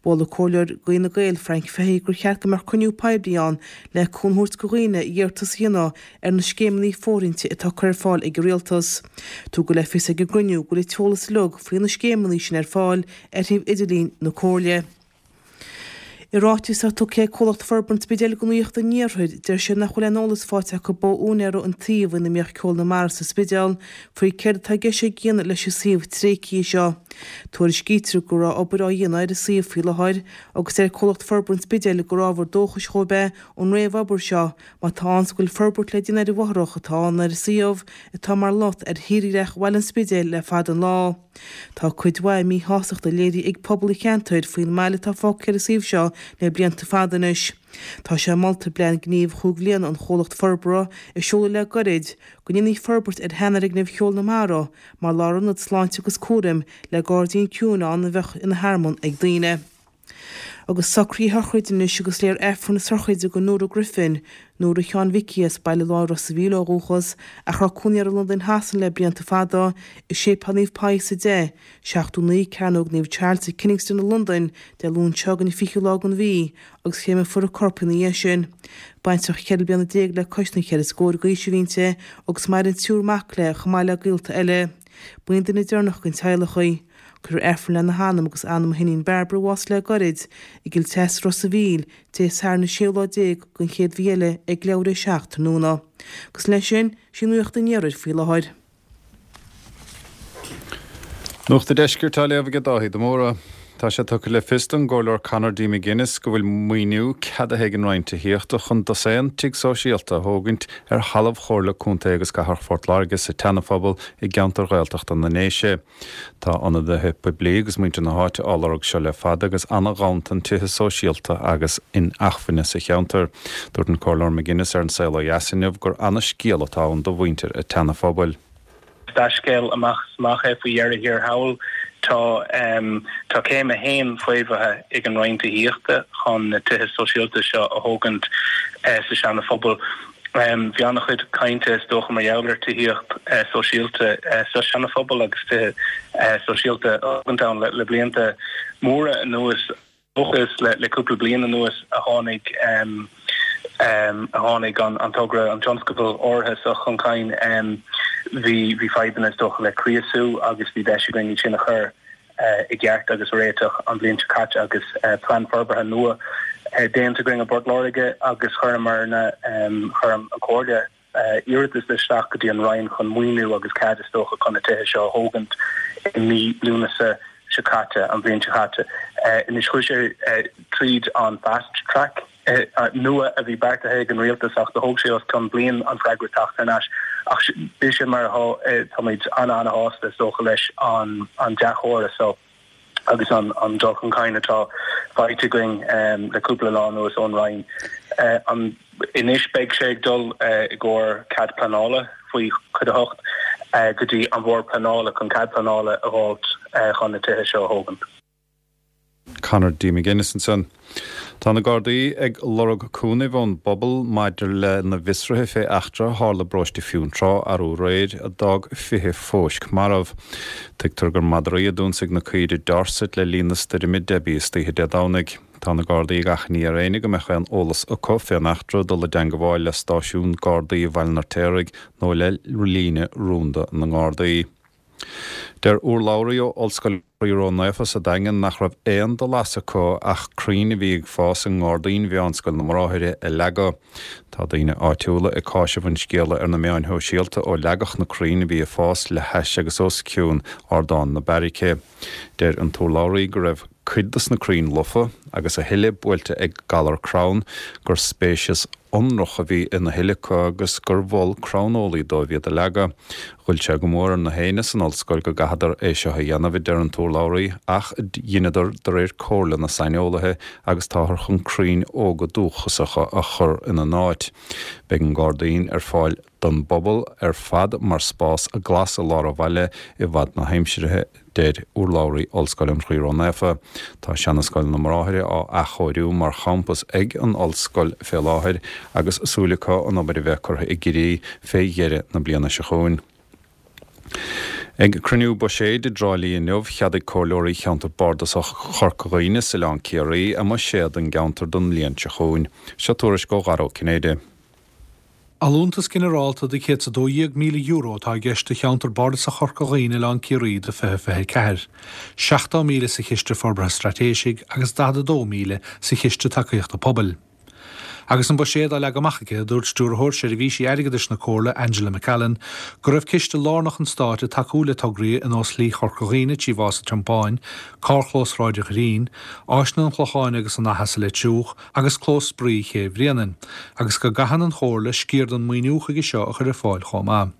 Mhol an Comhairleoir d'Fhine Gael, Frank Fahy gur cheart go mbeadh cruinniú poiblí ann le cúnamh a thabhairt do dhaoine iarratas a dhéanamh ar na scéimeanna fóirithinte atá curtha ar fáil ag an Rialtas. Tugadh le fios ag an gcruinniú go bhfuil an t-eolas uilig faoi na scéimeanna sin ar fáil ar shuíomh idirlín na Comhairle. I ráiteas atá tugtha ag Comhlacht Forbartha an Spidéil do Nuacht an Iarthair, deir siad nach bhfuil aon eolas faighte acu ó úinéara an tsuímh ina mbíodh Ceol na Mara sa Spidéal faoi céard atá i gceist a dhéanamh leis an suíomh tréigthe seo. Tuairiscítear go raibh obair á dhéanamh ar an suíomh faoi láthair agus deir Comhlacht Forbartha an Spidéil gur ábhar dóchais dhóibh é an réamhobair seo má tá ann 's go bhfuil forbairt le déanamh ar an bhfothrach atá ann ar an suíomh atá mar lot ar thírdhreach bhaile an Spidéil le fada an lá. Tá cuid mhaith míshástachta léirithe ag pobal an cheantair faoin mbail atá fágtha ar an suíomh seo le blianta fada anois. Tá sé molta i bplean gnímh chúig bhliana an chomhlacht forbartha a seoladh le goirid go ndéanfaí forbairt ar sheanfhoirgneamh Cheol na Mara mar lárionad sláinte agus cúraim le gairdín ciúin ann a bheadh ina thearmann ag daoine. Agus socruithe sochraide anois agus léifear Aifreann na sochraide do Nóra Griffin, Nóra Sheáin Mhicí as Baile Láir Ros a' Mhíl ó dhúchas, ach a raibh cónaí uirthi i Londain Shasana le blianta fada, i Séipéal Naomh Pius 10, 79 Cearnóg Naomh Charles i Kennington i Londain, Dé Luain seo chugainn an 20ú lá den mhí, agus créamfar a corp ina dhiaidh sin. Baintreach cheithre bliana déag le cois na cheithre scór d'aois a bhí inti agus maireann triúr mac léi chomh maith le gaolta eile. B'í an duine deireanach den teaghlach í. Cuirfear Aifreann lena hanam agus anam a hiníon Barbara a bhásaigh le gairid, i gCill Treasa Ros a' Mhíl, Dé Sathairn an séú lá den chéad mhí eile ag leathuair théis a 7 tráthnóna. Agus leis sin, sí Nuacht an Iarthair faoi láthair. Nuacht an Deiscirt á léamh aige Dáithí de Mórdha. Tá sé tugtha le fios don gComhairleoir Conor D. McGuinness go bhfuil maoiniú ceadaithe ag an Roinn Tithíochta chun dosaen tigh sóisialta a thógaint ar thalamh Chomhairle Contae agus Cathrach Phort Láirge sa tSeana-Phobal i gceantar Ghaeltachta na nDéise. Tá ionadaithe poiblí agus muintir na háite á lorg seo le fada agus an-ghanntan tithe sóisialta agus inacmhainne sa cheantar. Dúirt an Comhairleoir McGuinness ar An Saol Ó Dheas inniu gur ana-scéal atá ann do mhuintir an tSeana-Phobail. dea-scéal amach is amach é faoi dheireadh thiar thall. Tá tá céim a haon faomhaithe ag an Roinn Tithíochta chun na tithe sóisialta seo a thógaint sa Seana Phobal. Bhí an-chuid cainte is dócha mar gheall ar tithíocht sóisialta sa Seana Phobal agus tithe sóisialta a thógaint ann le blianta móra anuas. Dócha is le cúpla bliain anuas a tháinig a tháinig an togra, an tionscadal áirithe seo chun cinn. Bhí bhí fadhbanna is dócha le criosú agus bhí deis againn iad sin a chur i gceart agus a réiteach an bhliain seo caite agus plean forbartha nua déanta againn i bPort Láirge agus chuireamarna, chuir an Chomhairle iarratas isteach go dtí an Roinn chun maoiniú agus cead is dócha chun na tithe seo a thógaint i mí Lúnasa seo caite, an bhliain seo caite. Anois chuaigh sé tríd an fast track nua a bhí beartaithe ag an rialtas ach do thóg sé os cionn bliain an freagra teacht thar n-ais. Ach bíodh sé mar atá, táimid ana-ana-shásta is dócha leis an dea-thoradh so. agus an dul chun cinn atá faighte againn le cúpla lá anuas ón Roinn. Anois beidh sé ag dul i gcomhair cead pleanála faoi Chuid 8 go dtí an Bhord Pleanála chun cead pleanála a dh'fháilt chun na tithe seo a thógaint. Conor D. McGuinness ansan. Tá na Gardaí ag lorg cúnaimh ón bpobal maidir le na bhfiosruithe fé eachtra a tharla i bparóiste Fionntrá arú aréir a d'fhág 20 fóisc marbh. Tuigtear gur madraí a d'ionsaigh na caoirigh Dorset le linn na stoirme Debbie istoíche Dé Domhnaigh. Tá na Gardaí ag achainí ar éinne go mbeadh aon eolas acu fén eachtra dul i dteangabháil le stáisiún Gardaí Bhaile an Fheirtéaraigh nó le líne rúnda na nGardaí. Deir urlabhraí ó Ollscoil Chroí Ró-Naofa sa Daingean nach raibh aon dul as acu ach crainn a bhí ag fás i ngairdín Mheánscoil na mBráithre a leagadh. Tá daoine áitiúla ag cáiseamh an scéala ar na meáin shóisialta ó leagadh na crainn a bhí ag fás le hais agus os cionn ardán na beairice. Deir an t-urlabhraí go raibh cuid dos na crainn lofa agus a thuilleadh buailte ag galar crann, gur spéiseas ionrach a bhí ina thuilleadh acu agus gur mhol cranneolaí dóibh iad a leagadh. Ghoill sé go mór ar na héinne san ollscoil go gcaitheadar é seo a dhéanamh, a deir an t-urlabhraí, ach dheineadar de réir comhairle na saineolaithe agus táthar chun crainn óga dúchasacha a chur ina n-áit. Beidh an gairdín ar fáil don bpobal ar fad mar spás glas i lár an bhaile i bhfad na haimsire, deir urlabhraí Ollscoil an Chroí Ró-Naofa. Tá seana-scoil na mBráithre á athchóiriú mar champas ag an ollscoil fé láthair agus súil acu an obair a bheith curtha i gcrích fé dheireadh na bliana seo chugainn. Ag cruinniú buiséid i dTrá Lí inniu, cheadaigh comhairleoirí cheantar bardasach Chorca Dhuibhne is Oileán Ciarraí a mbuiséad don gceantar don mbliain seo chugainn. Seo tuairisc ó Dhara Ó Cinnéide. Allúntas ginearálta de €112,000 atá i gceist do cheantar bardasach Chorca Dhuibhne Oileán Ciarraí do 2024, 70,000 sa Chiste Forbartha Straitéisigh agus 42,000 sa Chiste Tacaíochta Pobail. Agus an buiséad á leagadh amach aici, dúirt Stiúrthóir Seirbhísí Airgeadais na Comhairle, Angela McAllen, go raibh ciste lárnach an Stáit ag tacú le tograí ar nós Shlí Chorca Dhuibhne trí Mhás an Tiompáin, Carrchlós Shráid an Ghreen, Áiseanna an Chlocháin agus an Fhaiche sa Leitir Triúch, agus Clós Spraoi Ché Bhréanainn, agus go gcaitheann an Chomhairle sciar den maoiniú chuige seo a chur ar fáil chomh maith.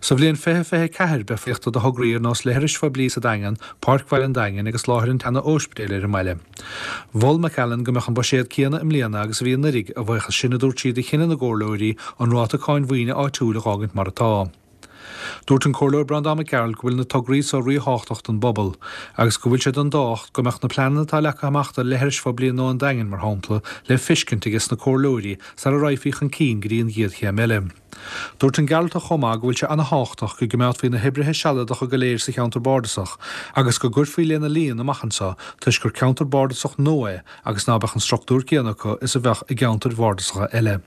Sa bhliain 2024, beidh fógraíochta do thograí ar nós leithris phoiblí sa Daingean, Páirc Bhaile an Daingin agus láthair an tseana-óispidéil ar an mbaile. Mhol McAllen go mbeadh an buiséad céanna i mbliana agus a bhí anuiridh, a bhuíochas sin, a dúirt sí, do chinneadh na gcomhairleoirí an ráta cáin mhaoine áitiúil a dh'fhágaint mar atá. Dúirt an Comhairleoir Breandán Mac Gearailt go bhfuil na tograí so ríthábhachtach don bpobal agus go bhfuil sé den tábhacht go mbeadh na pleananna atá leagtha amach do leithris phoiblí nua an Daingin, mar shampla, le feiscint ages na comhairleoirí sara raghfaí chun cinn go dtí an gcéad chéim eile. Dúirt an Gearaltach chomh maith go bhfuil sé ana-thábhachtach go gcoimeádfaí na hoibrithe sealadacha go léir sa cheantar bardasach agus go gcuirfí lena líon amach anseo toisc gur ceantar bardasach nua é agus ná beadh an structúr céanna acu is a bheadh i gceantair bhardasacha eile.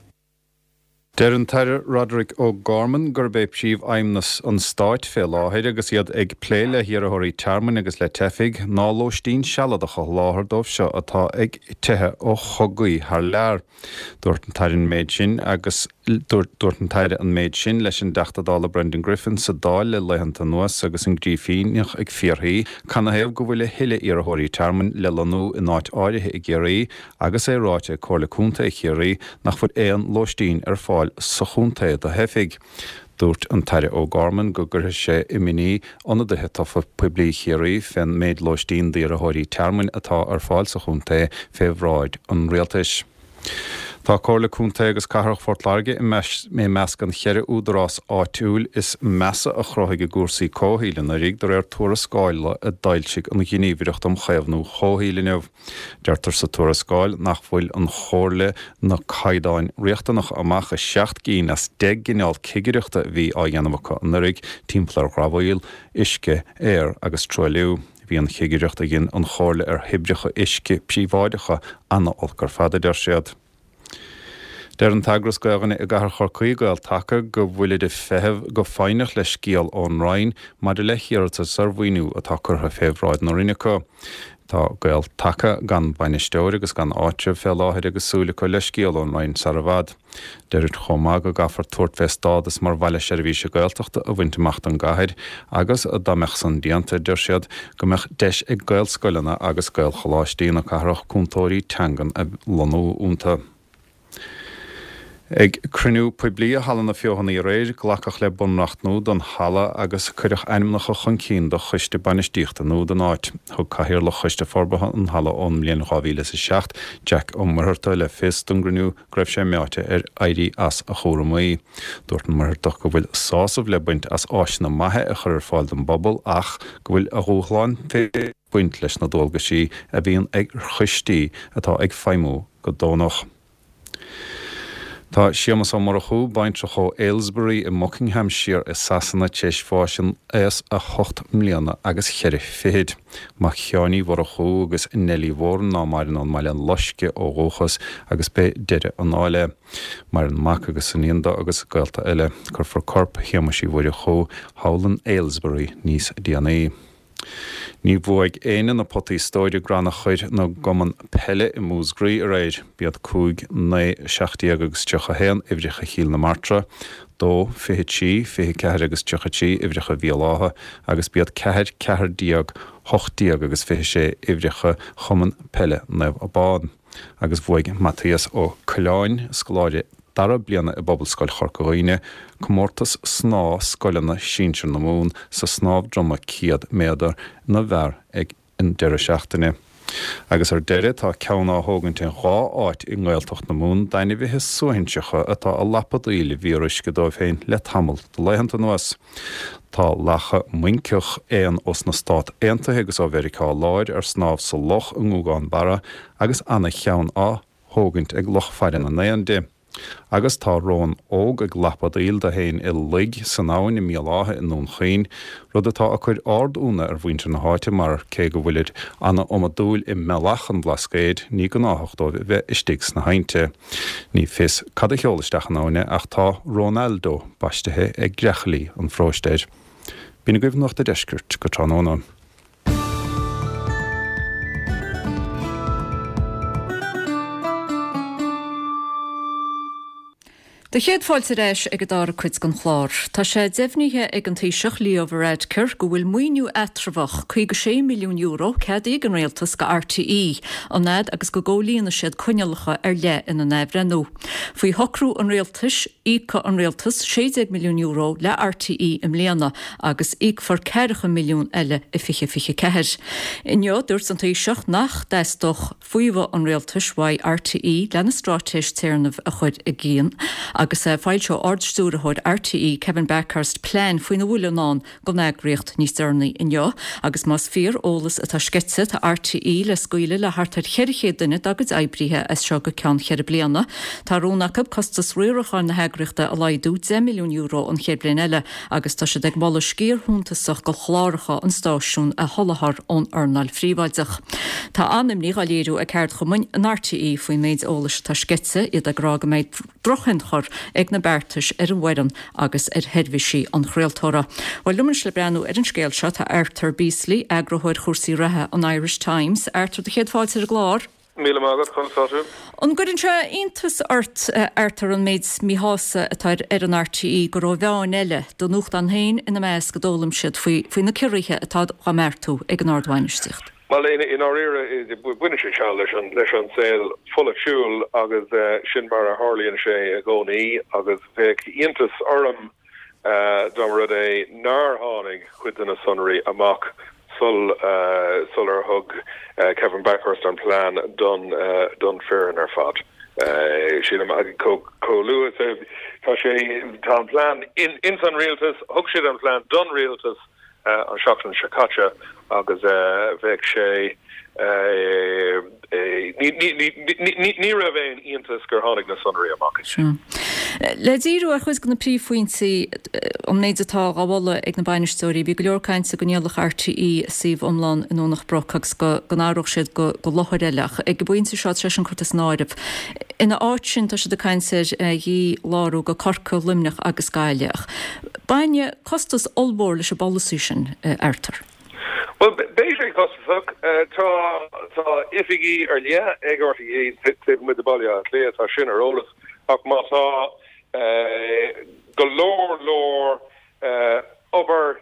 Deir an tAire Roderic O'Gorman gurb é príomhaidhm an Stáit fé láthair agus iad ag plé le hiarrthóirí tearmainn agus le teifigh ná lóistín sealadach a sholáthar dóibh seo atá ag teitheadh ó chogaí thar lear. Dúirt an tAire an méid sin agus Dúirt an tAire an méid sin leis an dTeachta Dála Brendan Griffin sa Dáil le laethanta anuas agus an Grífíneach ag fiafraí canathaobh go bhfuil a thuilleadh iarrthóirí tearmainn le lonnú in áit áirithe i gCiarraí agus é ráite ag Comhairle Contae Chiarraí nach bhfuil aon lóistín ar fáil sa chontae do theifigh. Dúirt an tAire O'Gorman go gcuirfidh sé imní ionadaithe tofa poiblí Chiarraí fén méid lóistín d'iarrthóirí tearmainn atá ar fáil sa chontae fé bhráid an Rialtais. Tá Comhairle Contae agus Cathrach Phort Láirge i measc an cheithre údarás áitiúil is measa a chruthaigh i gcúrsaí comhshaoil anuraidh, de réir tuarascála a d'fhoilsigh an Ghníomhaireacht um Chaomhnú Comhshaoil inniu. Deirtear sa tuarascáil nach bhfuil an Chomhairle na caighdeáin riachtanacha amach i seacht gcinn as 10 gcineál cigireachta a bhí á dhéanamh acu anuraidh timpeall ar dhramhaíl, uisce, aer agus truailliú. Bhí an chigireacht a dhein an Chomhairle ar thoibreacha uisce príobháideacha ana-olc ar fad, a deir siad. Deir an t-eagras Gaelainne i gcathair Chorcaí, Gael-Taca, go bhfuilid ag feitheamh go foighneach le scéal ón Roinn maidir le hiarratas ar mhaoiniú atá curtha fé bhráid na Roinne acu. Tá Gael-Taca gan bainisteoir agus gan áitreabh fé láthair agus súil acu le scéal ón Roinn sar i bhfad. Deirid chomh maith go gcaithfear tabhairt fé stádas mar Bhaile Seirbhíse Gaeltachta a bhaint amach don gcathair agus, dá mbeadh san déanta, deir siad, go mbeadh deis ag Gaelscoileanna agus Gaelcholáistí na cathrach cúntóirí teangan a lonnú iontu. Ag cruinniú poiblí i Halla na Feothanaí aréir, glacadh le bunreacht nua don halla agus cuireadh ainmneacha chun cinn do choiste bainistíochta nua don áit. Thug Cathaoirleach Choiste Forbartha an Halla ón mbliain 2007, Jack Ó Muircheartaigh, le fios don gcruinniú go raibh sé meáite ar éirí as a chúramaí. Dúirt an Muircheartach go bhfuil sásamh le baint as áiseanna maithe a chur ar fáil don bpobal ach go bhfuil a dhúshláin féin ag baint leis na dualgaisí a bhíonn ar choistí atá ag feidhmiú go deonach. Tá Séamus Ó Murchú, baintreach ó Aylesbury i mBuckinghamshire i Sasana, tar éis bháis in aos a hocht mbliana agus cheithre fichid. Mac Sheáin Uí Mhurchú agus Nellie Mhóran ná maireann ón mBaile Loiscthe ó dhúchas agus b'é Deireadh an Fháil é. Maireann mac agus iníon dó agus gaolta eile. Cuirfear corp Shéamuis Uí Mhurchú thall in Aylesbury níos déanaí. Ní bhuaigh éinne na potaí stóir i gcrannchur na gcumann peile i Músgraí aréir. B'iad 5, 9, 17 agus 31 uimhreacha Chill na Martra, 2, 23, 24 agus 33 uimhreacha Bhéal Átha agus b'iad 4, 14, 18 agus 26 uimhreacha Chumann Peile Naomh Abán. Agus bhuaigh Maitias Ó Coileáin, scoláire dara bliana i bPobalscoil Chorca Dhuibhne, comórtas snámha scoileanna sinsir na Mumhan sa snámh droma 100 méadar na bhfear ag an deireadh seachtaine. Agus ar deireadh, tá ceann á thógaint in dhá áit i nGaeltacht na Mumhan d'ainmhithe suaithinseacha atá ag lapadaíl i bhfíoruisce dóibh féin le tamall de laethanta anuas. Tá lacha muinceach, éan ós na Stát Aontaithe agus ó Mheiriceá Láir, ar snámh sa loch i nGúgán Barra agus ana-cheann á thógaint ag lucht faire na n-éan di. Agus tá rón óg ag lapadaíl dó féin i loig san abhainn i mBéal Átha i nDún Chaoin, rud atá ag cur ard-ionadh ar mhuintir na háite mar, cé go bhfuilid ana-iomadúil i mBealach an Bhlascaoid, ní gnáthach dóibh a bheith istigh sna haibhnte. Ní fios cad a sheol isteach an abhainn é ach tá Ronaldo baistithe ag greachaillí an pharóiste air. B'in agaibh Nuacht a' Deiscirt go tráthnóna. Do chéad fáilte ar ais ag an dara cuid den chlár. Tá sé deimhnithe ag an Taoiseach Leo Varadkar go bhfuil maoiniú eatramhach €56 milliún ceadaithe ag an Rialtas go RTÉ, an fhad agus go gcomhlíonfaidh siad coinníollacha ar leith ina n-athbhreithniú. Faoi shocrú an Rialtais, íocfaidh an Rialtas €16 milliún le RTÉ i mbliana agus íocfar ceathracha milliún eile i 2024. Inniu, dúirt an Taoiseach nach dteastódh faomhadh an Rialtais uaidh RTÉ lena straitéis téarnaimh a chur i gcrích agus foilseoidh Ard-Stiúrthóir RTÉ Kevin Bakhurst plean faoina bhfuil i ndán don eagraíocht níos deireanaí inniu agus más fíor eolas atá sceite tá RTÉ le scaoileadh le thart ar 400 duine dá gcuid oibrithe as seo go ceann cheithre bliana. Tá rún acu costas riaracháin na heagraíochta a laghdú €10 milliún an chéad bhliain eile agus tá siad ag moladh sciar shuntasach de chláracha an stáisiúin a sholáthar ón earnáil phríobháideach. Tá an-imní dhá léiriú ag ceardchumainn in RTÉ faoin méid eolais atá sceite, iad ag rá go mbeidh drochthionchar ag na beartais ar an bhfoireann agus ar sheirbhísí an chraoltóra. Bhuel, liom anois le breathnú ar an scéal seo tá Arthur Beesley, eagarthóir chúrsaí reatha an Irish Times. Arthur, do chéad fáilte ar an gclár. Míle maith agat, conas tá tú? An gcuireann sé iontas ort, Arthur, an méid míshásaimh atá ar fhoireann RTÉ gur ó mheáin eile, do nuachtán féin ina measc, a d'fhoghlaim siad faoi faoi na ciorruithe atá á mbeartú ag an ardbhainistíocht? Bhuel, i ndáiríre, baineann sé seo leis an leis an saol pholaitiúil agus sin mar a tharlaíonn sé i gcónaí agus bheadh iontas orm dá mba rud é nár tháinig cuid de na sonraí amach. sul sular thug Kevin Bakhurst an plean don don foireann ar fad. Sílim chomh luath is tá sé tá an plean ins an rialtas, thug siad an plean don rialtas an seachtain seo caite agus bheadh sé ní raibh aon iontas gur tháinig na sonraí amach. Sea. Le díriú ar chuid de na príomhphointí, an méid atá á mholadh ag na bainisteoirí, bhí go leor cainte go ndíolfadh RTÉ a suíomh iomlán i nDomhnach Broc agus go n-athródh siad go láthair eile ach ag an bpointe seo tá sé sin curtha san áireamh. Ina áit sin tá siad ag caint ar dhí-lárú go Corcaigh, Luimneach agus Gaillimh. Ach bainfidh costas ollmhór leis an bpolasaí sin, Arthur. Bhuel, beidh sé costasach. Tá tá oifigí ar leith ag RTÉ taobh amuigh de Bhaile Átha Cliath, tá sin ar eolas, ach má tá go leor leor obair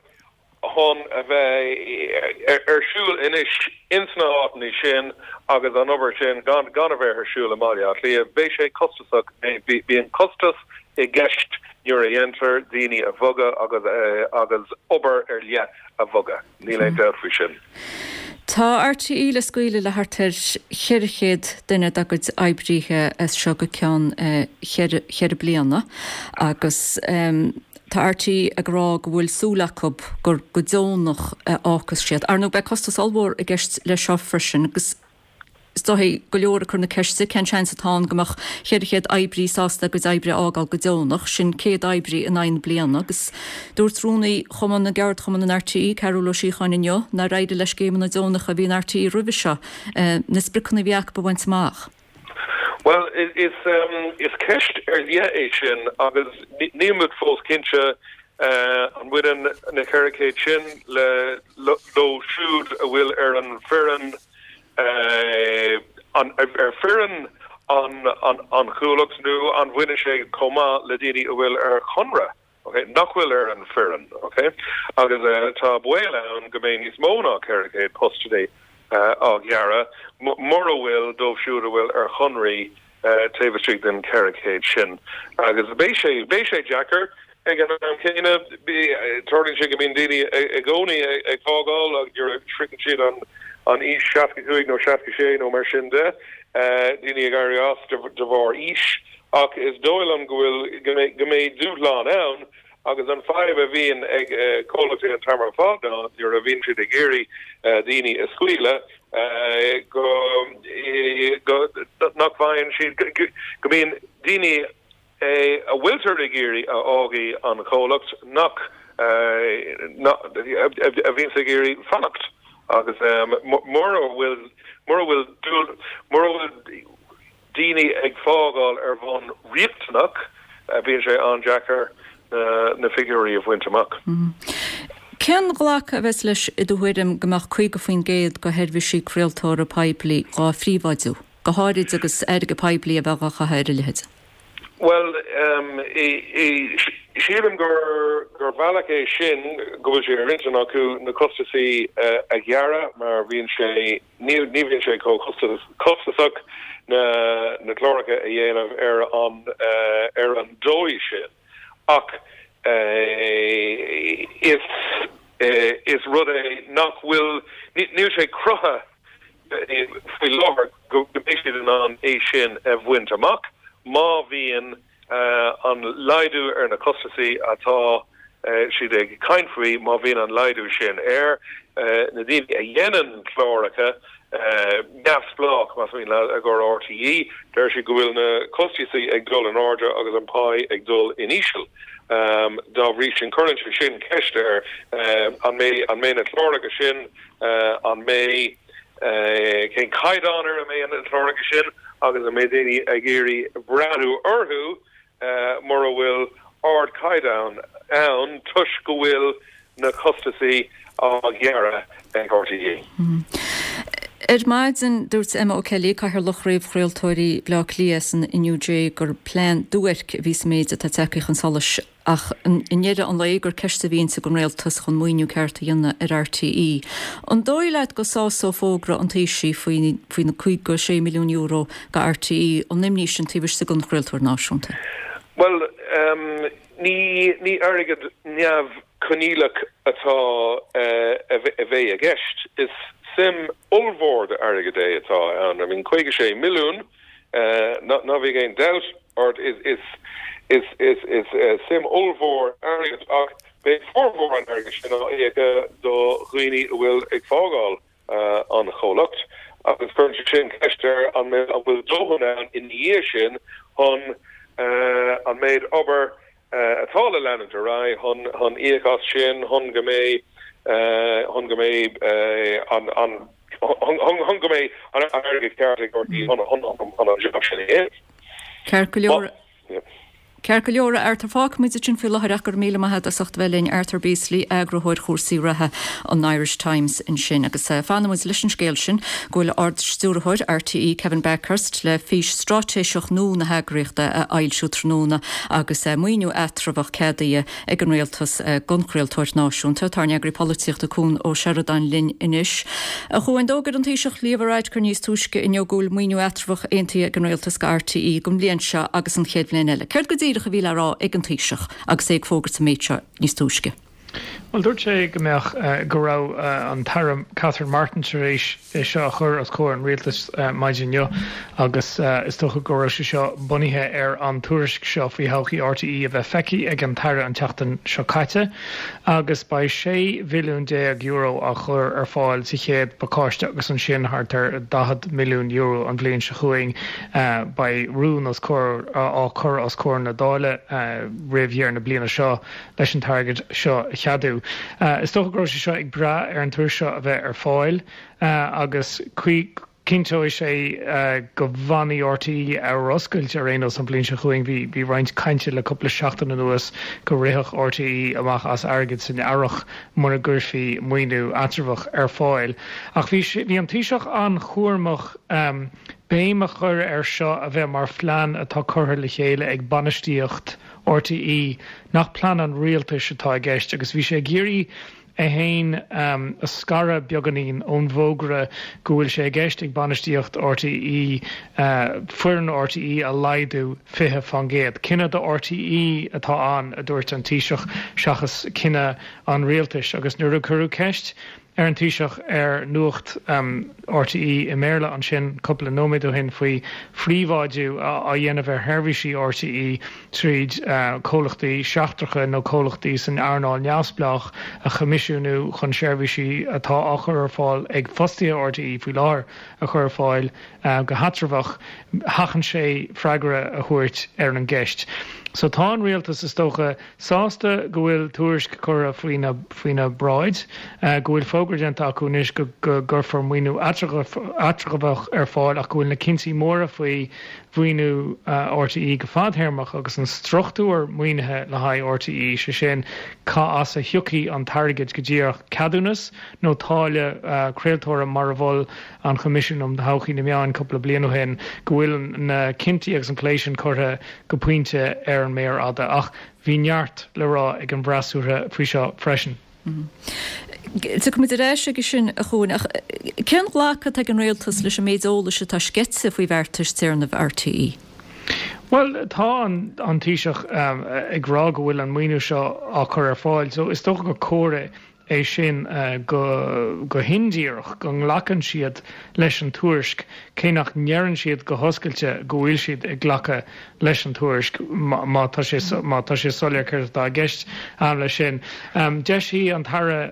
chun a bheith ar siúl anois ins na háiteanna sin agus an obair sin gan gan a bheith ar siúl i mBaile Átha Cliath, beidh sé costasach. Bíonn costas i gceist nuair a dhéantar daoine a bhogadh agus agus obair ar leith a bhogadh, níl aon dabht faoi sin. Tá RTÉ le scaoileadh le thart ar 400 duine dá gcuid oibríthe as seo go ceann cheithre bliana agus tá RTÉ ag rá go bhfuil súil acu gur go deonach a fhágfas siad. Ar ndóigh beidh costas ollmhór i gceist leis seo freisin agus Is dóigh go leor ag cur na ceiste cén seans atá ann go mbeadh 400 oibrí sásta a gcuid oibre a fhágáil go deonach, sin 100 oibrí in aghaidh na bliana, agus dúirt rúnaí Chumann na gCeardchumann in RTÉ, Cearbhall Ó Síocháin inniu nár éirigh le scéimeanna deonacha a bhí in RTÉ roimhe seo na spriocanna a bhí acu a bhaint amach. Bhuel, is ceist ar leith é sin agus níl muid fós cinnte an mbaineann na 400 sin le leo siúd a bhfuil ar an bhfoireann ar foireann an chomhlacht nó an bhaineann sé chomh maith le daoine a bhfuil ar chonradh, ok, nach bhfuil ar an bhfoireann, ok? Agus tá baol ann go mbeidh níos mó ná 400 postanna á ghearradh mura bhfuil dóibh siúd a bhfuil ar chonraí taobh istigh den 400 sin. Agus beidh sé, beidh sé deacair. Ag an am céanna, tarlaíonn sé go mbíonn daoine i gcónaí ag fágáil agus nuair a shroicheann siad an aois 65 nó 66 nó mar sin de, daoine ag éirí as de bharr aois. Ach is dóigh liom go bhfuil, go mbeidh dúshlán ann agus an fadhb a bhíonn ag comhlachtaí an t-am ar fad ná nuair a bhíonn siad ag iarraidh daoine a scaoileadh, go, go, nach bhfaigheann siad, go mbíonn daoine a bhfuiltear ag iarraidh a fhágfaidh an chomhlacht nach, a bhíonns ag iarraidh fanacht agus mura bhfuil, mura bhfuil, mura bhfuil daoine ag fágáil ar bhonn riachtanach bíonn sé an-deacair na figiúirí a bhaint amach. Cén ghlacadh a bheas leis i do thuairim go mbeadh 50% de sheirbhísí craoltóra poiblí dhá phríobháidiú, go háirid agus airgead poiblí a bheith dhá chaitheamh ar a leithéid? Bhuel, sílim gur gur bhealach é sin go bhfuil sé ar intinn acu na costasaí a ghearradh mar bhíonn sé, ní bhíonn sé chomh costasach na na cláracha a dhéanamh ar an ar an dóigh sin. Ach is is rud é nach bhfuil, níl sé cruthaithe faoi láthair go mbeidh siad in ann é sin a bhaint amach má bhíonn an laghdú ar na costasaí atá siad ag caint faoi, má bhíonn an laghdú sin ar na daoine a dhéanann cláracha neamhspleách, más mian leat, i gcomhair RTÉ, deir siad go bhfuil na costasaí ag dul in airde agus an pá ag dul in íseal. Dá bhrí sin, cuireann sé sin ceist ar an mbeidh na cláracha sin An mbeidh, cén caighdeán ar a mbeidh na cláracha sin agus an mbeidh daoine ag iarraidh breathnú orthu mura bhfuil ardchaighdeán ann toisc go bhfuil na costasaí á ghearradh ag RTÉ. Ar maidin, dúirt Emma O'Kelly, Cathaoirleach Chraobh Chraoltóirí Bhaile Átha Cliath san NUJ gur plean duairc a bhí sa méid atá tagtha chun solais. ach i ndeireadh an lae gur ceist a bhí inti don rialtas chun maoiniú ceart a dhéanamh ar RTÉ. An dóigh leat go sásódh fógra an Taoisigh faoi faoi na €56 milliún do RTÉ an imní sin taobh istigh den chraoltóir náisiúnta? Bhuel, ní ní airgead neamh. coinníollach atá a bheidh i gceist. Is suim ollmhór d'airgead é atá ann. I mean, 56 milliún, ná bíodh aon dabht ort, is suim ollmhór airgid ach beidh formhór an airgid sin á íoc do dhaoine a bhfuil ag fágáil an chomhlacht agus cuireann sé sin ceist ar an bhfuil dóthain ann ina dhiaidh sin chun an méid obair atá le leanúint ar aghaidh chun íoc as sin, chun go mbeidh chun go mbeidh an chun go mbeidh an airgead ceart ag RTÉ chun an job sin a dhéanamh. Ceart go leor. Ceart go leor, a Arthur. Fágfaidh muid ansin faoi láthair ach go raibh míle maith agat as ucht a bheith linn. Arthur Beesley, eagarthóir chúrsaí reatha an Irish Times ansin. Agus fanfaidh muid leis an scéal sin go bhfuil Ard-Stiúrthóir RTÉ, Kevin Bakhurst, le fís straitéiseach nua na heagraíochta a fhoilsiú tráthnóna agus maoiniú eatramhach ceadaithe ag an Rialtas don chraoltóir náisiúnta. Tá ár n-eagraí polaitíochta Cuan Ó Seireadáin linn anois. A Chuain, d'fhógair an Taoiseach Leo Varadkar níos túisce inniu go bhfuil maoiniú eatramhach aontaithe ag an Rialtas do RTÉ don bhliain seo agus an chéad bhliain eile. Céard go díreach a bhí le rá ag an Taoiseach agus é ag fógairt an méid seo níos túisce? Bhuel, dúirt sé go mbeadh, go raibh an tAire Catherine Martin tar éis é seo a chur os comhair an Rialtais maidin inniu agus is dócha go raibh sé seo bunaithe ar an tuairisc seo faoi thodhchaí RTÉ a bheith feicthe ag an tAire an tseachtain seo caite agus beidh €16 mhilliún á chur ar fáil sa chéad phacáiste agus ansin thart ar €40 milliún an bhliain seo chugainn. Beidh rún os comhair á chur os comhair na Dála roimh dheireadh na bliana seo leis an t-airgead seo a cheadú. Is dócha go raibh sé seo ag brath ar an tuairisc seo a bheith ar fáil agus cinnteoidh sé go bhfanfaidh RTÉ ar oscailt ar aon nós an bhliain seo chugainn. Bhí roinnt cainte le cúpla seachtain anuas go rithfeadh RTÉ amach as airgead san earrach mura gcuirfí maoiniú eatramhach ar fáil. Ach bhí bhí an Taoiseach an-chúramach béim a chur air seo a bheith mar phlean atá curtha le chéile ag bainistíocht RTÉ nach plean an rialtais atá i gceist agus bhí sé ag iarraidh é féin a scaradh beagáinín ón bhfógra go bhfuil sé i gceist ag bainistíocht RTÉ foireann RTÉ a laghdú 20%. Cinneadh do RTÉ atá ann, a dúirt an Taoiseach, seachas cinneadh an rialtais agus nuair a cuireadh ceist ar an Taoiseach ar Nuacht RTÉ i mBéarla ansin cúpla nóiméad ó shin faoi phríobháidiú á dhéanamh ar sheirbhísí RTÉ tríd comhlachtaí seachtracha nó comhlachtaí san earnáil neamhspleách a choimisiúnú chun seirbhísí atá á chur ar fáil ag fostaithe RTÉ faoi láthair a chur ar fáil go heatramhach, sheachain sé freagra a thabhairt ar an gceist. So tá an rialtas, is dócha, Sásta go bhfuil tuairisc curtha faoina bráid, go bhfuil fógra déanta acu anois go gcuirfear maoiniú eatramhach ar fáil ach go bhfuil na cinntí móra faoi mhaoiniú RTÉ go fadthéarmach agus an struchtúr maoinithe le haghaidh RTÉ, sé sin cá as a thiocfaidh an t-airgead go díreach, ceadúnas nó táille craoltóra mar a mhol an Choimisiún um Thodhchaí na Meán cúpla bliain ó shin, go bhfuil na cinntí agus an plé sin curtha go pointe ar an méar fhada. Ach bhí neart le rá ag an bhfreasúra faoi seo freisin. Tiocfaidh muid ar ais aige sin, a Chuain, ach cén ghlacadh atá ag an Rialtas leis an méid eolais atá sceite faoi bheartais téarnaimh RTÉ? Bhuel, tá an Taoiseach ag rá go bhfuil an maoiniú seo á chur ar fáil, so is dócha gur comhartha é sin go hindíreach go nglacann siad leis an tuairisc, cé nach ndeireann siad go hoscailte go bhfuil siad ag glacadh leis an tuairisc, má tá sé má tá sé soiléir céard atá i gceist leis sin. D'eisigh an tAire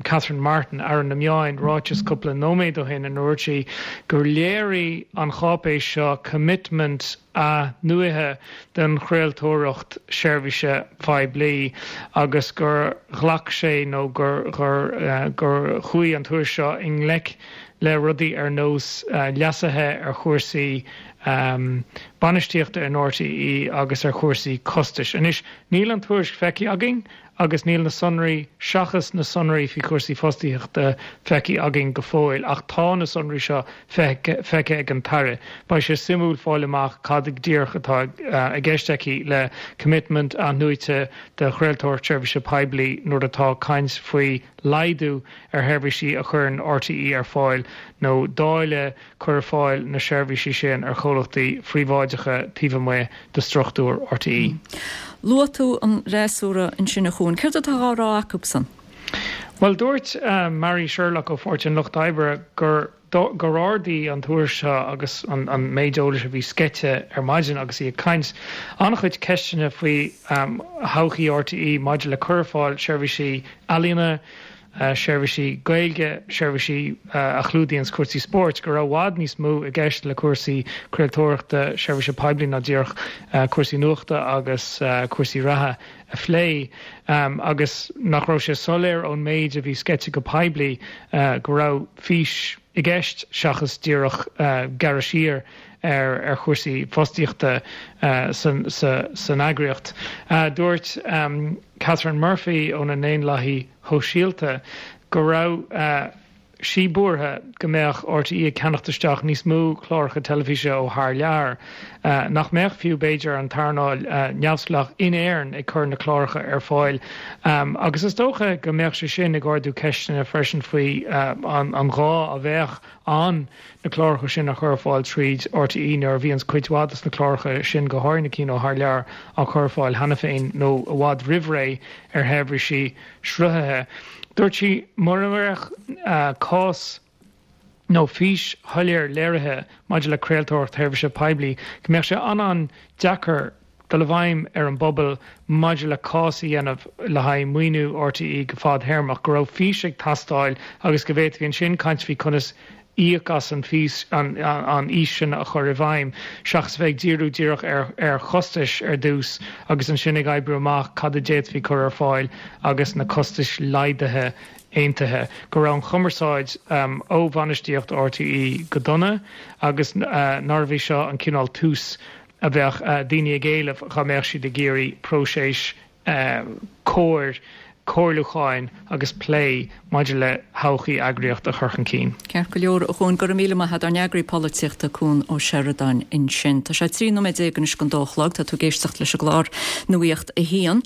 Catherine Martin, Aire na Meáin, ráiteas cúpla nóiméad ó shin ina ndúirt sí gur léirigh an cháipéis seo commitment athnuaite den chraoltóireacht seirbhíse poiblí agus gur ghlac sé nó gur gur chuaigh an tuairisc seo i ngleic le rudaí ar nós leasuithe ar chúrsaí bainistíochta in RTÉ agus ar chúrsaí costais. Anois, níl an tuairisc feicthe againn agus níl na sonraí, seachas na sonraí faoi chúrsaí fostaíochta, feicthe againn go fóill, ach tá na sonraí seo feicthe ag an tAire. Beidh sé suimiúil fáil amach cad go díreach atá i gceist aici le commitment athnuaite do chraoltóireacht seirbhíse poiblí nuair atá caint faoi laghdú ar sheirbhísí a chuireann RTÉ ar fáil nó dáileadh cur ar fáil na seirbhísí sin ar chomhlachtaí phríobháideacha taobh amuigh de struchtúr RTÉ. Luaigh tú an fhreasúra ansin a Chuain. Céard atá á rá acusan? Bhuel, dúirt Mary Sherlock ó Pháirtí an Lucht Oibre gur gur ardaigh an tuairisc seo agus an méid eolais a bhí sceite ar maidin agus í ag caint, an-chuid ceisteanna faoi thodhchaí RTÉ maidir le cur ar fáil seirbhísí ealaíona, seirbhísí Gaeilge, seirbhísí a chlúdaíonns cúrsaí spóirt, go raibh i bhfad níos mó i gceist le cúrsaí craoltóireachta seirbhíse poiblí ná díreach cúrsaí nuachta agus cúrsaí reatha a phlé agus nach raibh sé soiléir ón méid a bhí sceite go poiblí go raibh fís i gceist seachas díreach gearradh siar ar chúrsaí fostaíochta san eagraíocht. Dúirt Catherine Murphy ó na nDaonlathaithe Shóisialta go raibh sí buartha go mbeadh RTÉ ag ceannacht isteach níos mó cláracha teilifíse ó thar lear, nach mbeadh fiú b'fhéidir an t-earnáil neamhspleách in Éirinn ag cur na cláracha ar fáil agus is dócha go mbeadh sé sin ag ardú ceisteanna freisin faoi an ghá a bheadh ann na cláracha sin a chur ar fáil tríd RTÉ nuair a bhíonns cuid mhaith dos na cláracha sin, go háirithe na cinn ó thar lear, á cur ar fáil cheana féin nó i bhfad roimh ré ar sheirbhísí sruthaithe. Dúirt sí mura mbeadh cás nó fís shoiléir léirithe maidir le craoltóireacht sheirbhíse poiblí go mbeadh sé an-an-deacair dul i bhfeidhm ar an bpobal maidir le cás a dhéanamh le haghaidh maoiniú RTÉ go fadthéarmach, go raibh fís ag teastáil agus go bhféadfaí ansin caint faoi conas íoc as an bhfís, an fhís sin a chur i bhfeidhm, seachas a bheith ag díriú díreach ar chostais ar dtús agus ansin ag oibriú amach cad a d'fhéadfaí cur ar fáil agus na costais laghdaithe aontaithe. Go raibh an chumarsáid ó bhainistíocht RTÉ go dona agus nárbh é seo an cineál tús a bheadh daoine ag éileamh dhá mbeadh siad ag iarraidh próiseas cóir comhairliúcháin agus plé maidir le todhchaí eagraíocht a chur chun cinn. Ceart go leor, a Chuain, go raibh míle maith agat, ár n-eagraí polaitíochta Cuan Ó Seireadáin ansin. Tá sé 13 nóiméad anois don dó a chlog, tá tú ag éisteacht leis an gclár Nuacht a hAon.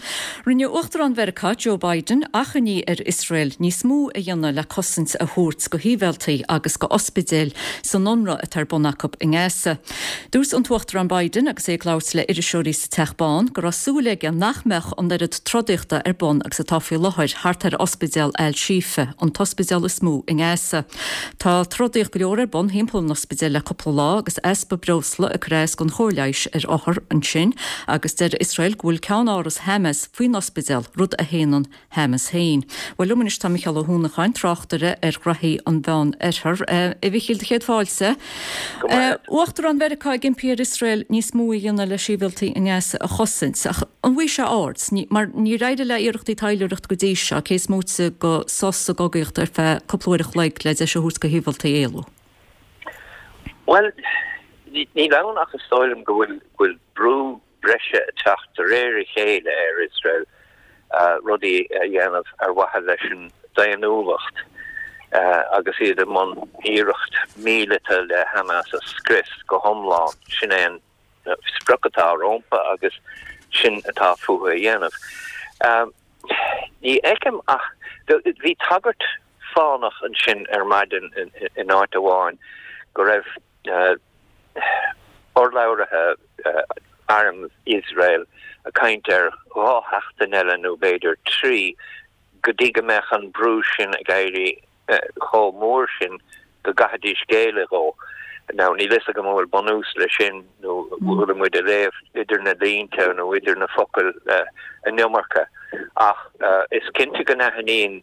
Rinne Uachtarán Mheiriceá, Joe Biden, achainí ar Iosrael níos mó a dhéanamh le cosaint a thabhairt go shibhialtaigh agus go ospidéil san ionradh atá ar bun acu i nGaza. Dúirt an tUachtarán Biden agus é ag labhairt le iriseoirí sa Teach Bán go raibh súil aige nach mbeadh an oiread trodaíochta ar bun agus atá faoi láthair thart ar Ospidéal Al-Shifa, an t-ospidéal is mó i nGaza. Tá trodaíocht go leor ar bun thimpeall an ospidéil le cúpla lá agus easpa breosla ag cur as don chóir leighis ar othair ansin agus deir Iosrael go bhfuil ceann-áras Hamas faoin ospidéal, rud a shéanann Hamas féin. Bhuel, liom anois tá Micheál Ó hUanacháin, tráchtaire ar ghraithí an Mheán Oirthir. A Mhichíl, do chéad fáilte. Uachtarán Mheiriceá ag impí ar Iosrael níos mó a dhéanamh le sibhialtaigh i nGaza a chosaint. Ach an bhfaighidh sé aird? Mar níor éirigh le iarrachtaí taidhleoireachta go dtí seo, cé is móite de sos sa gcogaíocht ar feadh cúpla uair a chloig le deis a thabhairt do shibhialtaigh éalú. Bhuel, níl ann ach is dóigh liom go bhfuil brú breise ag teacht de réir a chéile ar Iosrael rudaí a dhéanamh ar mhaithe leis an daonnúlacht agus iad i mbun iarracht míleata le Hamas a scrios go hiomlán. Sin é an sprioc atá rompu agus sin atá fúthu a dhéanamh. Ní fheicim ach bhí tagairt fánach ansin ar maidin in áit amháin go raibh urlabhraithe arm Iosrael ag caint ar dhá sheachtain eile nó b'fhéidir 3 go dtí go mbeadh an brú sin ag éirí chomh mór sin go gcaithfidís géilleadh dhó. Now níl fhios agam an bhfuil bunús leis sin nó bhfuil muid ag léamh idir na línte nó idir na focail an iomarca ach is cinnte go n-aithníonn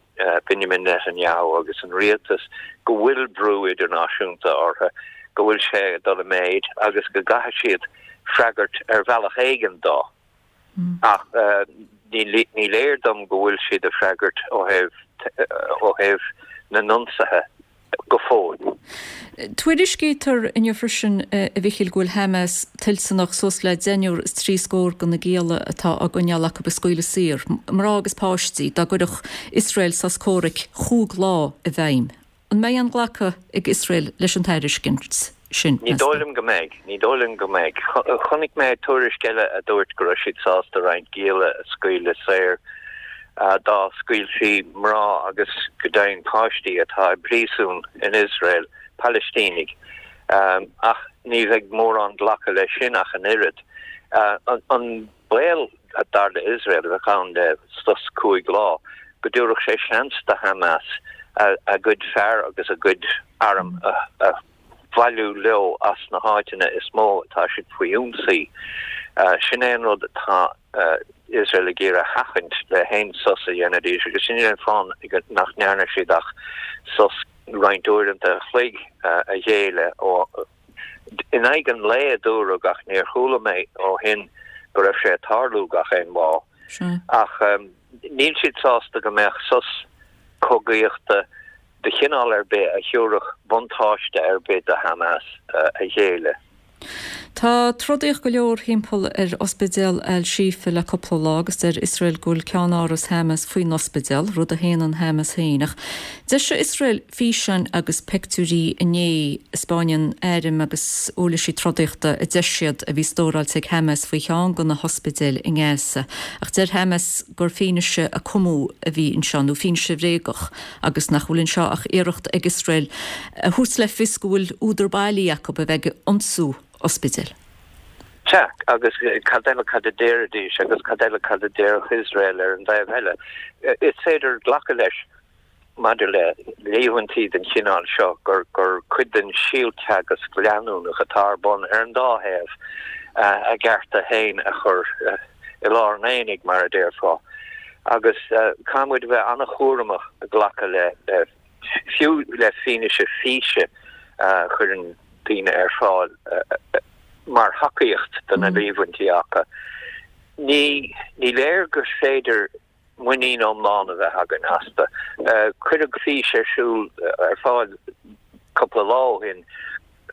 Benjamin Netanyahu agus an rialtas go bhfuil brú idirnáisiúnta orthu, go bhfuil sé ag dul i méid agus go gcaithfidh siad freagairt ar bhealach éigin dó. Ach ní léir dom go bhfuil siad ag freagairt ó thaobh ó thaobh na n-ionsaithe go fóill. Tuairiscítear inniu freisin, a Mhichíl, go bhfuil Hamas toilteanach suas le deichniúr is trí scór de na gialla atá á gcoinneáil acu a scaoileadh saor, mná agus páistí, dá gcuirfeadh Iosrael sos comhraic chúig lá i bhfeidhm. An mbeidh aon ghlacadh ag Iosrael leis an tairiscint sin, Ní meas dóigh tú? liom go mbeidh. Ní dóigh liom go mbeidh. Chonaic mé tuairisc eile a dúirt go raibh siad sásta roinnt gialla a scaoileadh saor dá scaoilfí mná agus go deimhin páistí atá i bpríosún in Iosrael, Palaistínigh. Ach ní bheidh mórán glacadh leis sin ach an oiread. An baol. dar le Iosrael, a bheadh ann le sos 5 lá, go dtabharfadh sé seans do Hamas a gcuid fear agus a gcuid arm a bhailiú leo as na háiteanna is mó atá siad faoi ionsaí. Sin é an rud atá Iosrael ag iarraidh a sheachaint le haon sos a dhéanfaidís agus sin é an fáth nach ndearna siad ach sos roinnt uaireanta a chloig a ghéilleadh ó in aghaidh an lae a dúradh ach níor chuala mé ó shin go raibh sé ag tarlú gach aon lá. Ach níl siad sásta go mbeadh sos cogaíochta de chineál ar bith a thabharfadh buntáiste ar bith do Hamas a ghéilleadh. Tá trodaíocht go leor thimpeall ar ospidéal Al-Shifa le cúpla lá agus deir Iosrael go bhfuil ceannáras Hamas faoin ospidéal, rud a shéanann Hamas féin. Ach d'eisigh Iosrael físeáin agus peictiúirí inné a 'spáineann airm agus uirlisí trodaíochta a deir siad a bhí stóráilte ag Hamas faoi cheann de na hospidéil i nGaza. Ach deir Hamas gur fianaise a cumadh a bhí anseo, nó fianaise bhréagach, agus nach bhfuil anseo ach iarracht ag Iosrael a thabhairt le fios go bhfuil údar bailí acu a bheith ag ionsú ospidéil. Sea, agus cad eile cad a déarfaidís agus cad eile cad a déarfadh Iosrael ar an dtaobh eile? Is féidir glacadh leis maidir le líomhaintí den chineál seo gur gur cuid den síolteagasc leanúnach atá ar bun ar an dá thaobh a gcearta féin a chur i lár an aonaigh, mar a déarfá. Agus caithfidh muid a bheith an-chúramach glacadh le, fiú le fianaise físe a chuireann daoine ar fáil mar thacaíocht do na líomhaintí acu. Ní léir gur féidir muinín iomlán a bheith againn astu. Cuireadh fís ar siúl ar fáil cúpla lá ó shin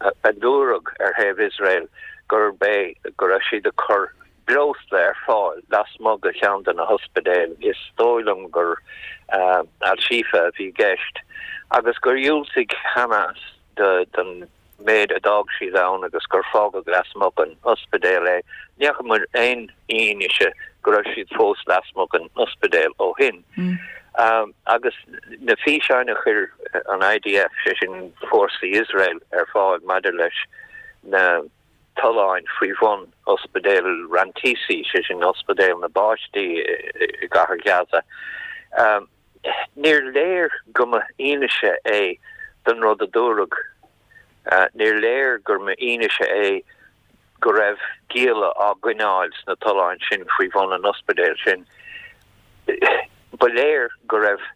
a dúradh ar thaobh Iosrael gurb é go raibh siad ag cur breosla ar fáil lasmuigh de cheann de na hospidéil, is dóigh liom gur Al-Shifa a bhí i gceist, agus gur dhiúltaigh Hamas don méid a d'fhág siad ann agus gur fágadh lasmuigh den ospidéal é. Ní fhaca muid aon fhianaise go raibh siad fós lasmuigh den ospidéal ó shin. Agus na físeáin a chuir an IDF, sé sin fórsaí Iosrael, ar fáil maidir leis na tolláin faoi bhun ospidéal Rantisi, sé sin ospidéal na bpáistí i gcathair Ghaza, Níor léir go mba fhianaise é don rud a dúradh. Níor léir gur mba fhianaise é go raibh gialla á gcoinneáil sna tolláin sin faoi bhun an ospidéil sin. Ba léir go raibh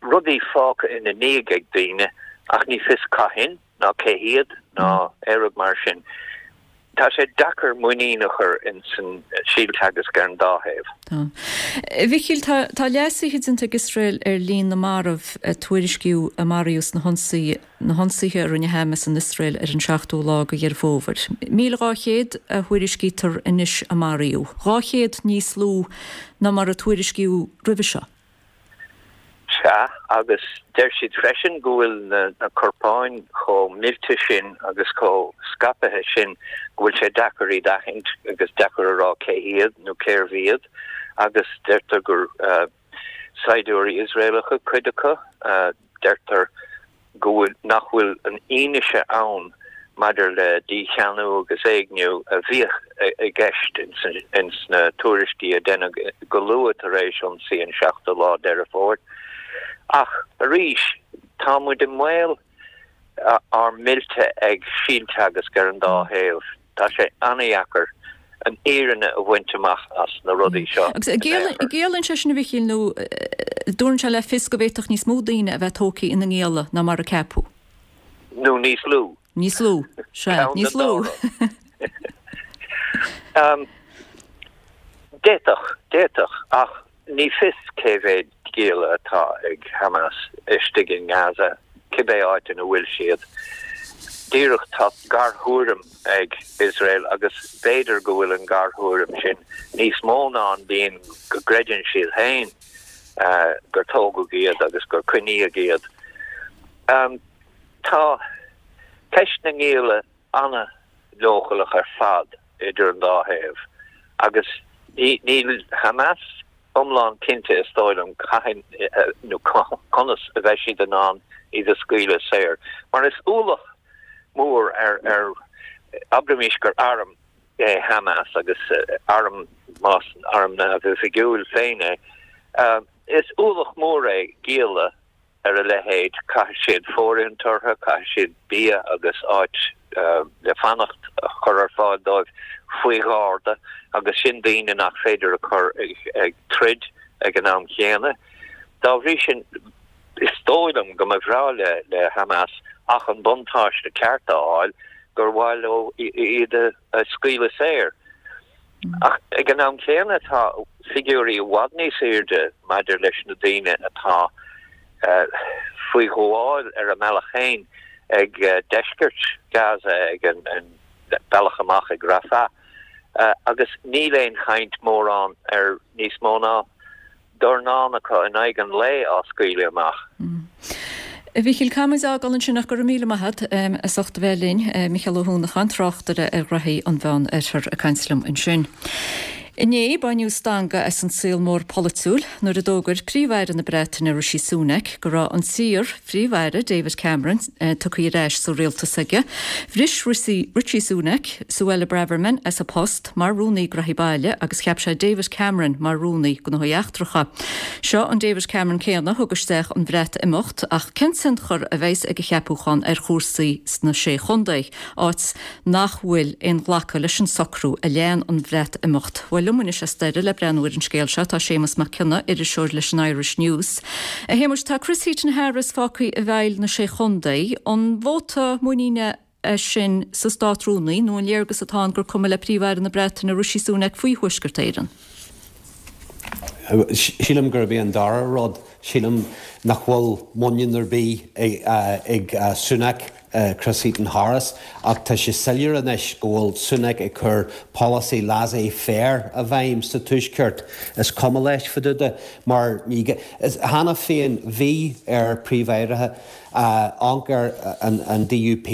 rudaí fágtha ina ndiaidh ag daoine ach ní fios cathain ná cé hiad ná aon rud mar sin. Tá sé deacair muinín a chur ins an síolteagasc ar an dá thaobh. Tá. A Mhichíl, tá tá leasuithe déanta ag Iosrael ar líon na marbh a tuairiscíodh a maraíodh sna hionsaí na hionsaithe a rinne Hamas in Iosrael ar an seachtú lá de Dheireadh Fómhair. 1,200 a thuairiscítear anois a maraíodh. 200 níos lú ná mar a tuairiscíodh roimhe seo. Sea, agus deir siad freisin go bhfuil na corpáin chomh millte sin agus chomh scaipthe sin go bhfuil sé deacair iad a aithint agus deacair a rá cé hiad nó cérbh iad agus deirtear gur saighdiúirí Iosraelacha cuid acu. Deirtear go bhfuil, nach bhfuil an fhianaise ann maidir le dícheannú agus éigniú a bhíodh i gceist ins na tuairiscí a deineadh go luath tar éis ionsaí an seachtú lá Deireadh Fómhair. Ach arís, tá muid i mbaol ár millte ag síolteagasc ar an dá thaobh. Tá sé an-dheacair an fhírinne a bhaint amach as na rudaí seo. Agus an gciallaíonn sé sin, a Mhichíl, nó dtabharann sé le fios go bhféadfadh níos mó daoine a bheith tógtha ina ngialla ná mar a ceapadh? Nó níos lú. Níos lú, sea, níos lú. D'fhéadfadh, d'fhéadfadh, ach Ní fios cé mhéad gialla atá ag Hamas istigh i nGaza, cibé áit ina bhfuil siad. Díreach tá garthuairim ag Iosrael agus b'fhéidir go bhfuil an garthuairim sin níos mó ná an líon go gcreideann siad féin gur tógadh iad agus gur coinníodh iad. Tá ceist na ngialla an-leochaileach ar fad idir an dá thaobh agus níl Hamas iomlán cinnte, is dóigh liom, cathain nó conas a bheidh siad in ann iad a scaoileadh saor. Mar is ualach mór ar, abraimis gur arm. é Hamas agus arm, más arm neamhoifigiúil féin é. Is ualach mór é gialla ar a leithéid, caithfidh siad fóirithint orthu, caithfidh siad bia agus áit le fanacht a chur ar fáil dóibh faoi gharda agus sin daoine nach féidir a chur ag troid ag an am chéanna. Dá bhrí sin, is dóigh liom go mba bhreá le Hamas ach an buntáiste ceart a fháil gur mhaith leo iad a scaoileadh saor. Ach ag an am céanna tá figiúirí i bhfad níos airde maidir leis na daoine atá faoi ghabháil ar a mbealach féin ag deisceart Gaza, ag an bealach amach ag Rafah, agus níl aon chaint mórán ar níos mó ná dornán acu in aghaidh an lae á scaoileadh amach. A Mhíchíl, caithfimid a fhágáil ansin ach go raibh míle maith agat as ucht a bheith linn. Mícheál Ó hUanacháin, tráchtaire ar ghraithí an Mheán Oirthir ag caint liom ansin. Inné, baineadh stangadh as an saol mór polaitiúil nuair a d'fhógair Príomh-Aire na Breataine Rishi Sunak go raibh an t-iar-Phríomh-Aire David Cameron tugtha ar ais sa rialtas aige. Bhris Rishi Sunak Suella Braverman as a post mar Rúnaí Gnóthaí Baile agus cheap sé David Cameron mar Rúnaí Gnóthaí Eachtracha. Seo an David Cameron céanna a thug isteach an Bhreatimeacht ach cén tionchar a bheas ag a cheapúchán ar chúrsaí sna Sé Chontae, áit nach bhfuil aon ghlacadh leis an socrú a lean an Bhreatimeacht? Bhuel, liom anois as Doire le breathnú ar an scéal seo tá Séamus Mac Cionnaith, iriseoir leis an Irish News. A Shéamuis, tá Chris Heaton-Harris fágtha i bhfeighil na Sé Chontae. An vóta muiníne é sin sa Státrúnaí, nó an léargas atá ann gur cuma le Príomh-Aire na Breataine Rishi Sunak faoi Thuaisceart Éireann? Sílim gurb é an dara rud. Sílim nach bhfuil muinín ar bith ag Sunak, Chris Heaton-Harris, ach tá sé soiléir anois go bhfuil Sunak ag cur polasaí laissez-faire i bhfeidhm sa Tuaisceart. Is cuma leis fá dtaobh de mar cheana féin bhí ar Príomh-Aireacha amharc ar an DUP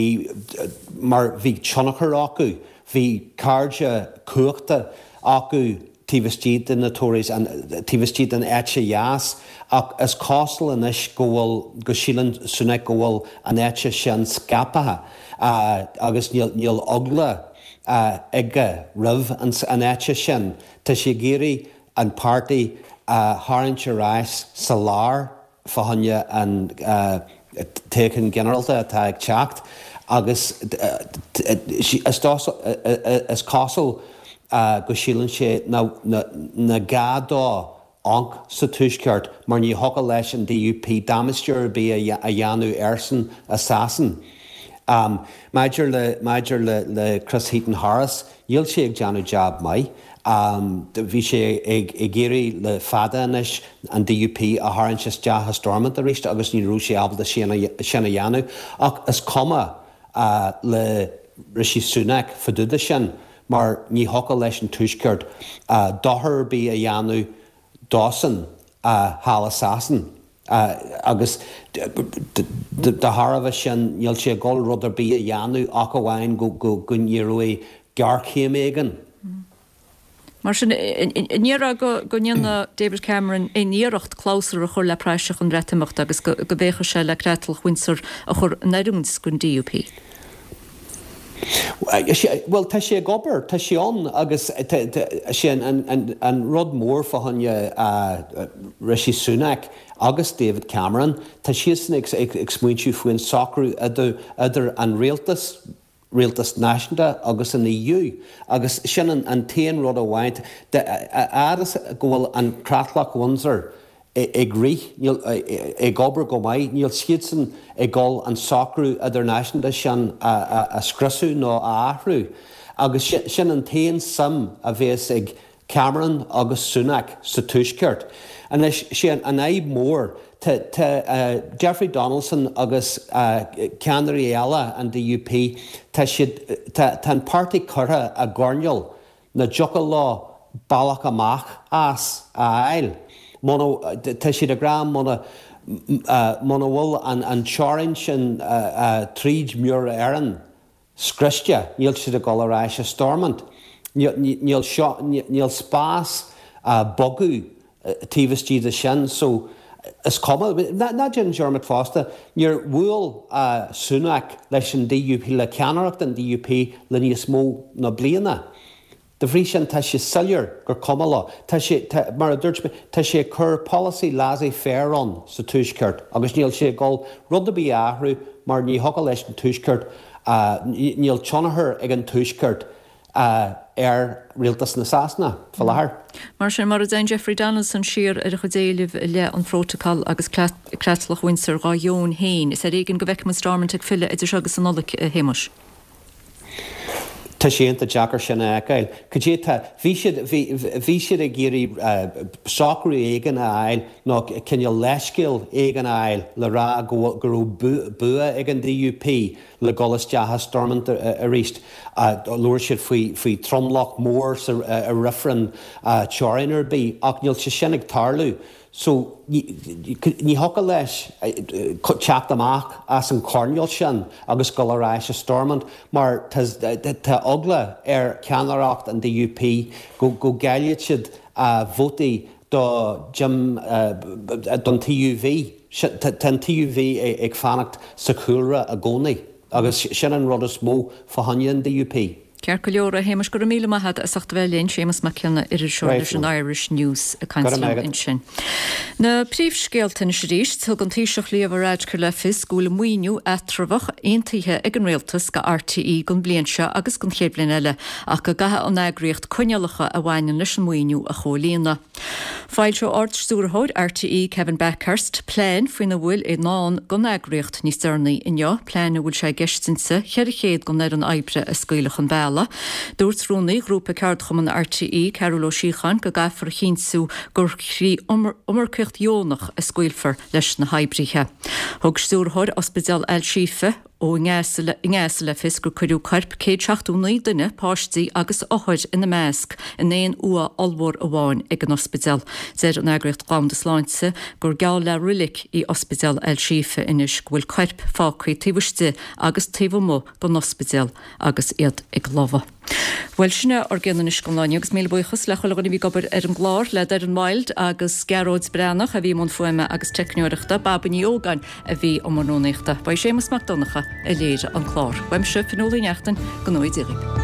mar bhí tionchar acu, bhí cairde cumhachta acu taobh istigh de na Tories, taobh istigh den eite dheas ach is cosúil anois go bhfuil, go síleann Sunak go bhfuil an eite sin scaipthe agus níl eagla aige roimh an eite sin. Tá sé ag iarraidh an páirtí a tharraingt ar ais sa lár. fá choinne an toghchán ginearálta atá ag teacht agus is cosúil go síleann sé nach gá dó amharc sa Tuaisceart mar ní thiocfadh leis an DUP damáiste ar bith a dhéanamh airsean i Sasain. Maidir le maidir le Chris Heaton-Harris, níl sé ag déanamh jab maith. Bhí sé ag iarraidh le fada anois an DUP a tharraingt isteach i Stormont arís agus ní raibh sé ábalta sin a dhéanamh. Ach is cuma le Rishi Sunak fá dtaobh de sin mar ní thiocfadh leis an Tuaisceart dochar ar bith a dhéanamh dósan thall i Sasain. Agus de thairbhe sin níl sé ag dul rud ar bith a dhéanamh ach amháin go n-éireoidh géarchéim éigin. Mar sin, an ndéarfá go ndéanfaidh David Cameron aon iarracht clabhsúr a chur le praiseach an Bhreatimeachta agus go bhféachfaidh sé le creatlach Windsor a chur in oiriúint don DUP? Bhuel, tá sé ag obair, tá sé ann agus sé an rud mór fá choinne Rishi Sunak agus David Cameron, tá siadsan ag smaointiú faoin socrú idir an rialtas, rialtas náisiúnta agus an EU agus sin an t-aon rud amháin, a fhad is go bhfuil an creatlach Windsor ag rith, níl, ag obair go maith, níl siadsan ag dul an socrú idirnáisiúnta sin a scriosadh nó a athrú. Agus sin an t-aon suim a bhéas ag Cameron agus Sunak sa Tuaisceart. Anois, sé an fhadhb mhór, tá Jeffrey Donaldson agus ceannairí eile an DUP, tá siad, tá an páirtí curtha i gcoirnéal nach dtiocfadh leo bealach amach as a fháil. Muna, tá siad ag rá muna, muna bhfuil an teorainn sin tríd Muir Éireann scriosta, níl siad ag dul ar ais i Stormont. Níl seo, níl spás bogadh taobh istigh de sin so is cuma. Ná déan dearmad fosta, níor bhuail Sunak leis an DUP, le ceannaireacht an DUP le níos mó ná bliana. De bhrí sin, tá sé soiléir gur cuma leo. Tá sé, tá, mar a dúirt mé, tá sé ag cur polasaí laissez-faire ann sa Tuaisceart agus níl sé ag dul rud ar bith a athrú mar ní thiocfadh leis an Tuaisceart, níl tionchar ag an Tuaisceart ar rialtas na Sasana fá láthair. Mar sin, mura dtéann Jeffrey Donaldson siar ar a chuid éilimh i leith an Phrótacail agus Creatlach Windsor dhá dheoin féin, is ar éigean go bhfeicfidh muid Stormont ag filleadh idir seo agus an Nollaig, a Shéamuis. Tá sé iontach deacair sin a fheiceáil. Cad é tá, bhí siad, bhí, bhí siad ag iarraidh socrú éigin a fháil nó cineál leithscéal éigin a fháil le rá go go raibh bua ag an DUP le dhul isteach i Stormont arís. Labhair siad faoi, faoi tromlach mór sa reifreann teorainn ar bith ach níl sé sin ag tarlú. So, ní thiocfadh leis teacht amach as an choirnéal sin agus dul ar ais i Stormont mar tá eagla ar cheannaireacht an DUP go gcaillfidh siad vótaí do Jim, don TUV. Tá an TUV ag fanacht sa chúlra i gcónaí agus sin an rud is mó fá choinne an DUP. Ceart go leor, a Shéamais, go raibh míle maith agat as ucht a bheith linn. Séamus Mac Cionnaith, iriseoir leis an Irish News ag caint liom ansin. Na príomhscéalta anois arís, Thug an Taoiseach Leo Varadkar le fios go bhfuil maoiniú eatramhach aontaithe ag an Rialtas go RTÉ don bhliain seo agus don chéad bhliain eile ach go gcaithfidh an eagraíocht coinníollacha a bhaineann leis an maoiniú a chomhlíonadh. Foilseoidh Ard-Stiúrthóir RTÉ Kevin Bakhurst plean faoina bhfuil i ndán don eagraíocht níos deireanaí inniu, plean a bhfuil sé i gceist inti 400 den fhoireann oibre a scaoileadh chun bealaigh. Dúirt Rúnaí Ghrúpa Ceardchumann RTÉ, Cearbhall Ó Síocháin, go gcaithfear a chinntiú gur thrí iomarcaíocht dheonach a scaoilfear leis na hoibrithe. Thug Stiúrthóir Ospidéal Al-Shifa, i nGaza le fios gur cuireadh coirp 179 duine, páistí agus othair ina measc, in aon uaigh ollmhór amháin ag an ospidéal. Deir an Eagraíocht Dhomhanda Sláinte gur geall le roilic í Ospidéal Al-Shifa anois, go bhfuil coirp fágtha taobh istigh agus taobh amuigh den ospidéal agus iad ag lobhadh. Bhuel, sin é ár gcion anois don lá inniu agus míle buíochas le chuile dhuine a bhí ag obair ar an gclár, le Doireann Wilde agus Gearóid Breathnach a bhí i mbun fuaime agus teicneoireachta, Baba Ní Ógáin a bhí i mbun rúnaíochta. Ba é Séamus Mac Donncha a léirigh an clár. Uaimse, Fionnuala Ní Neachtain, go ngnóthaí Dia dhaoibh.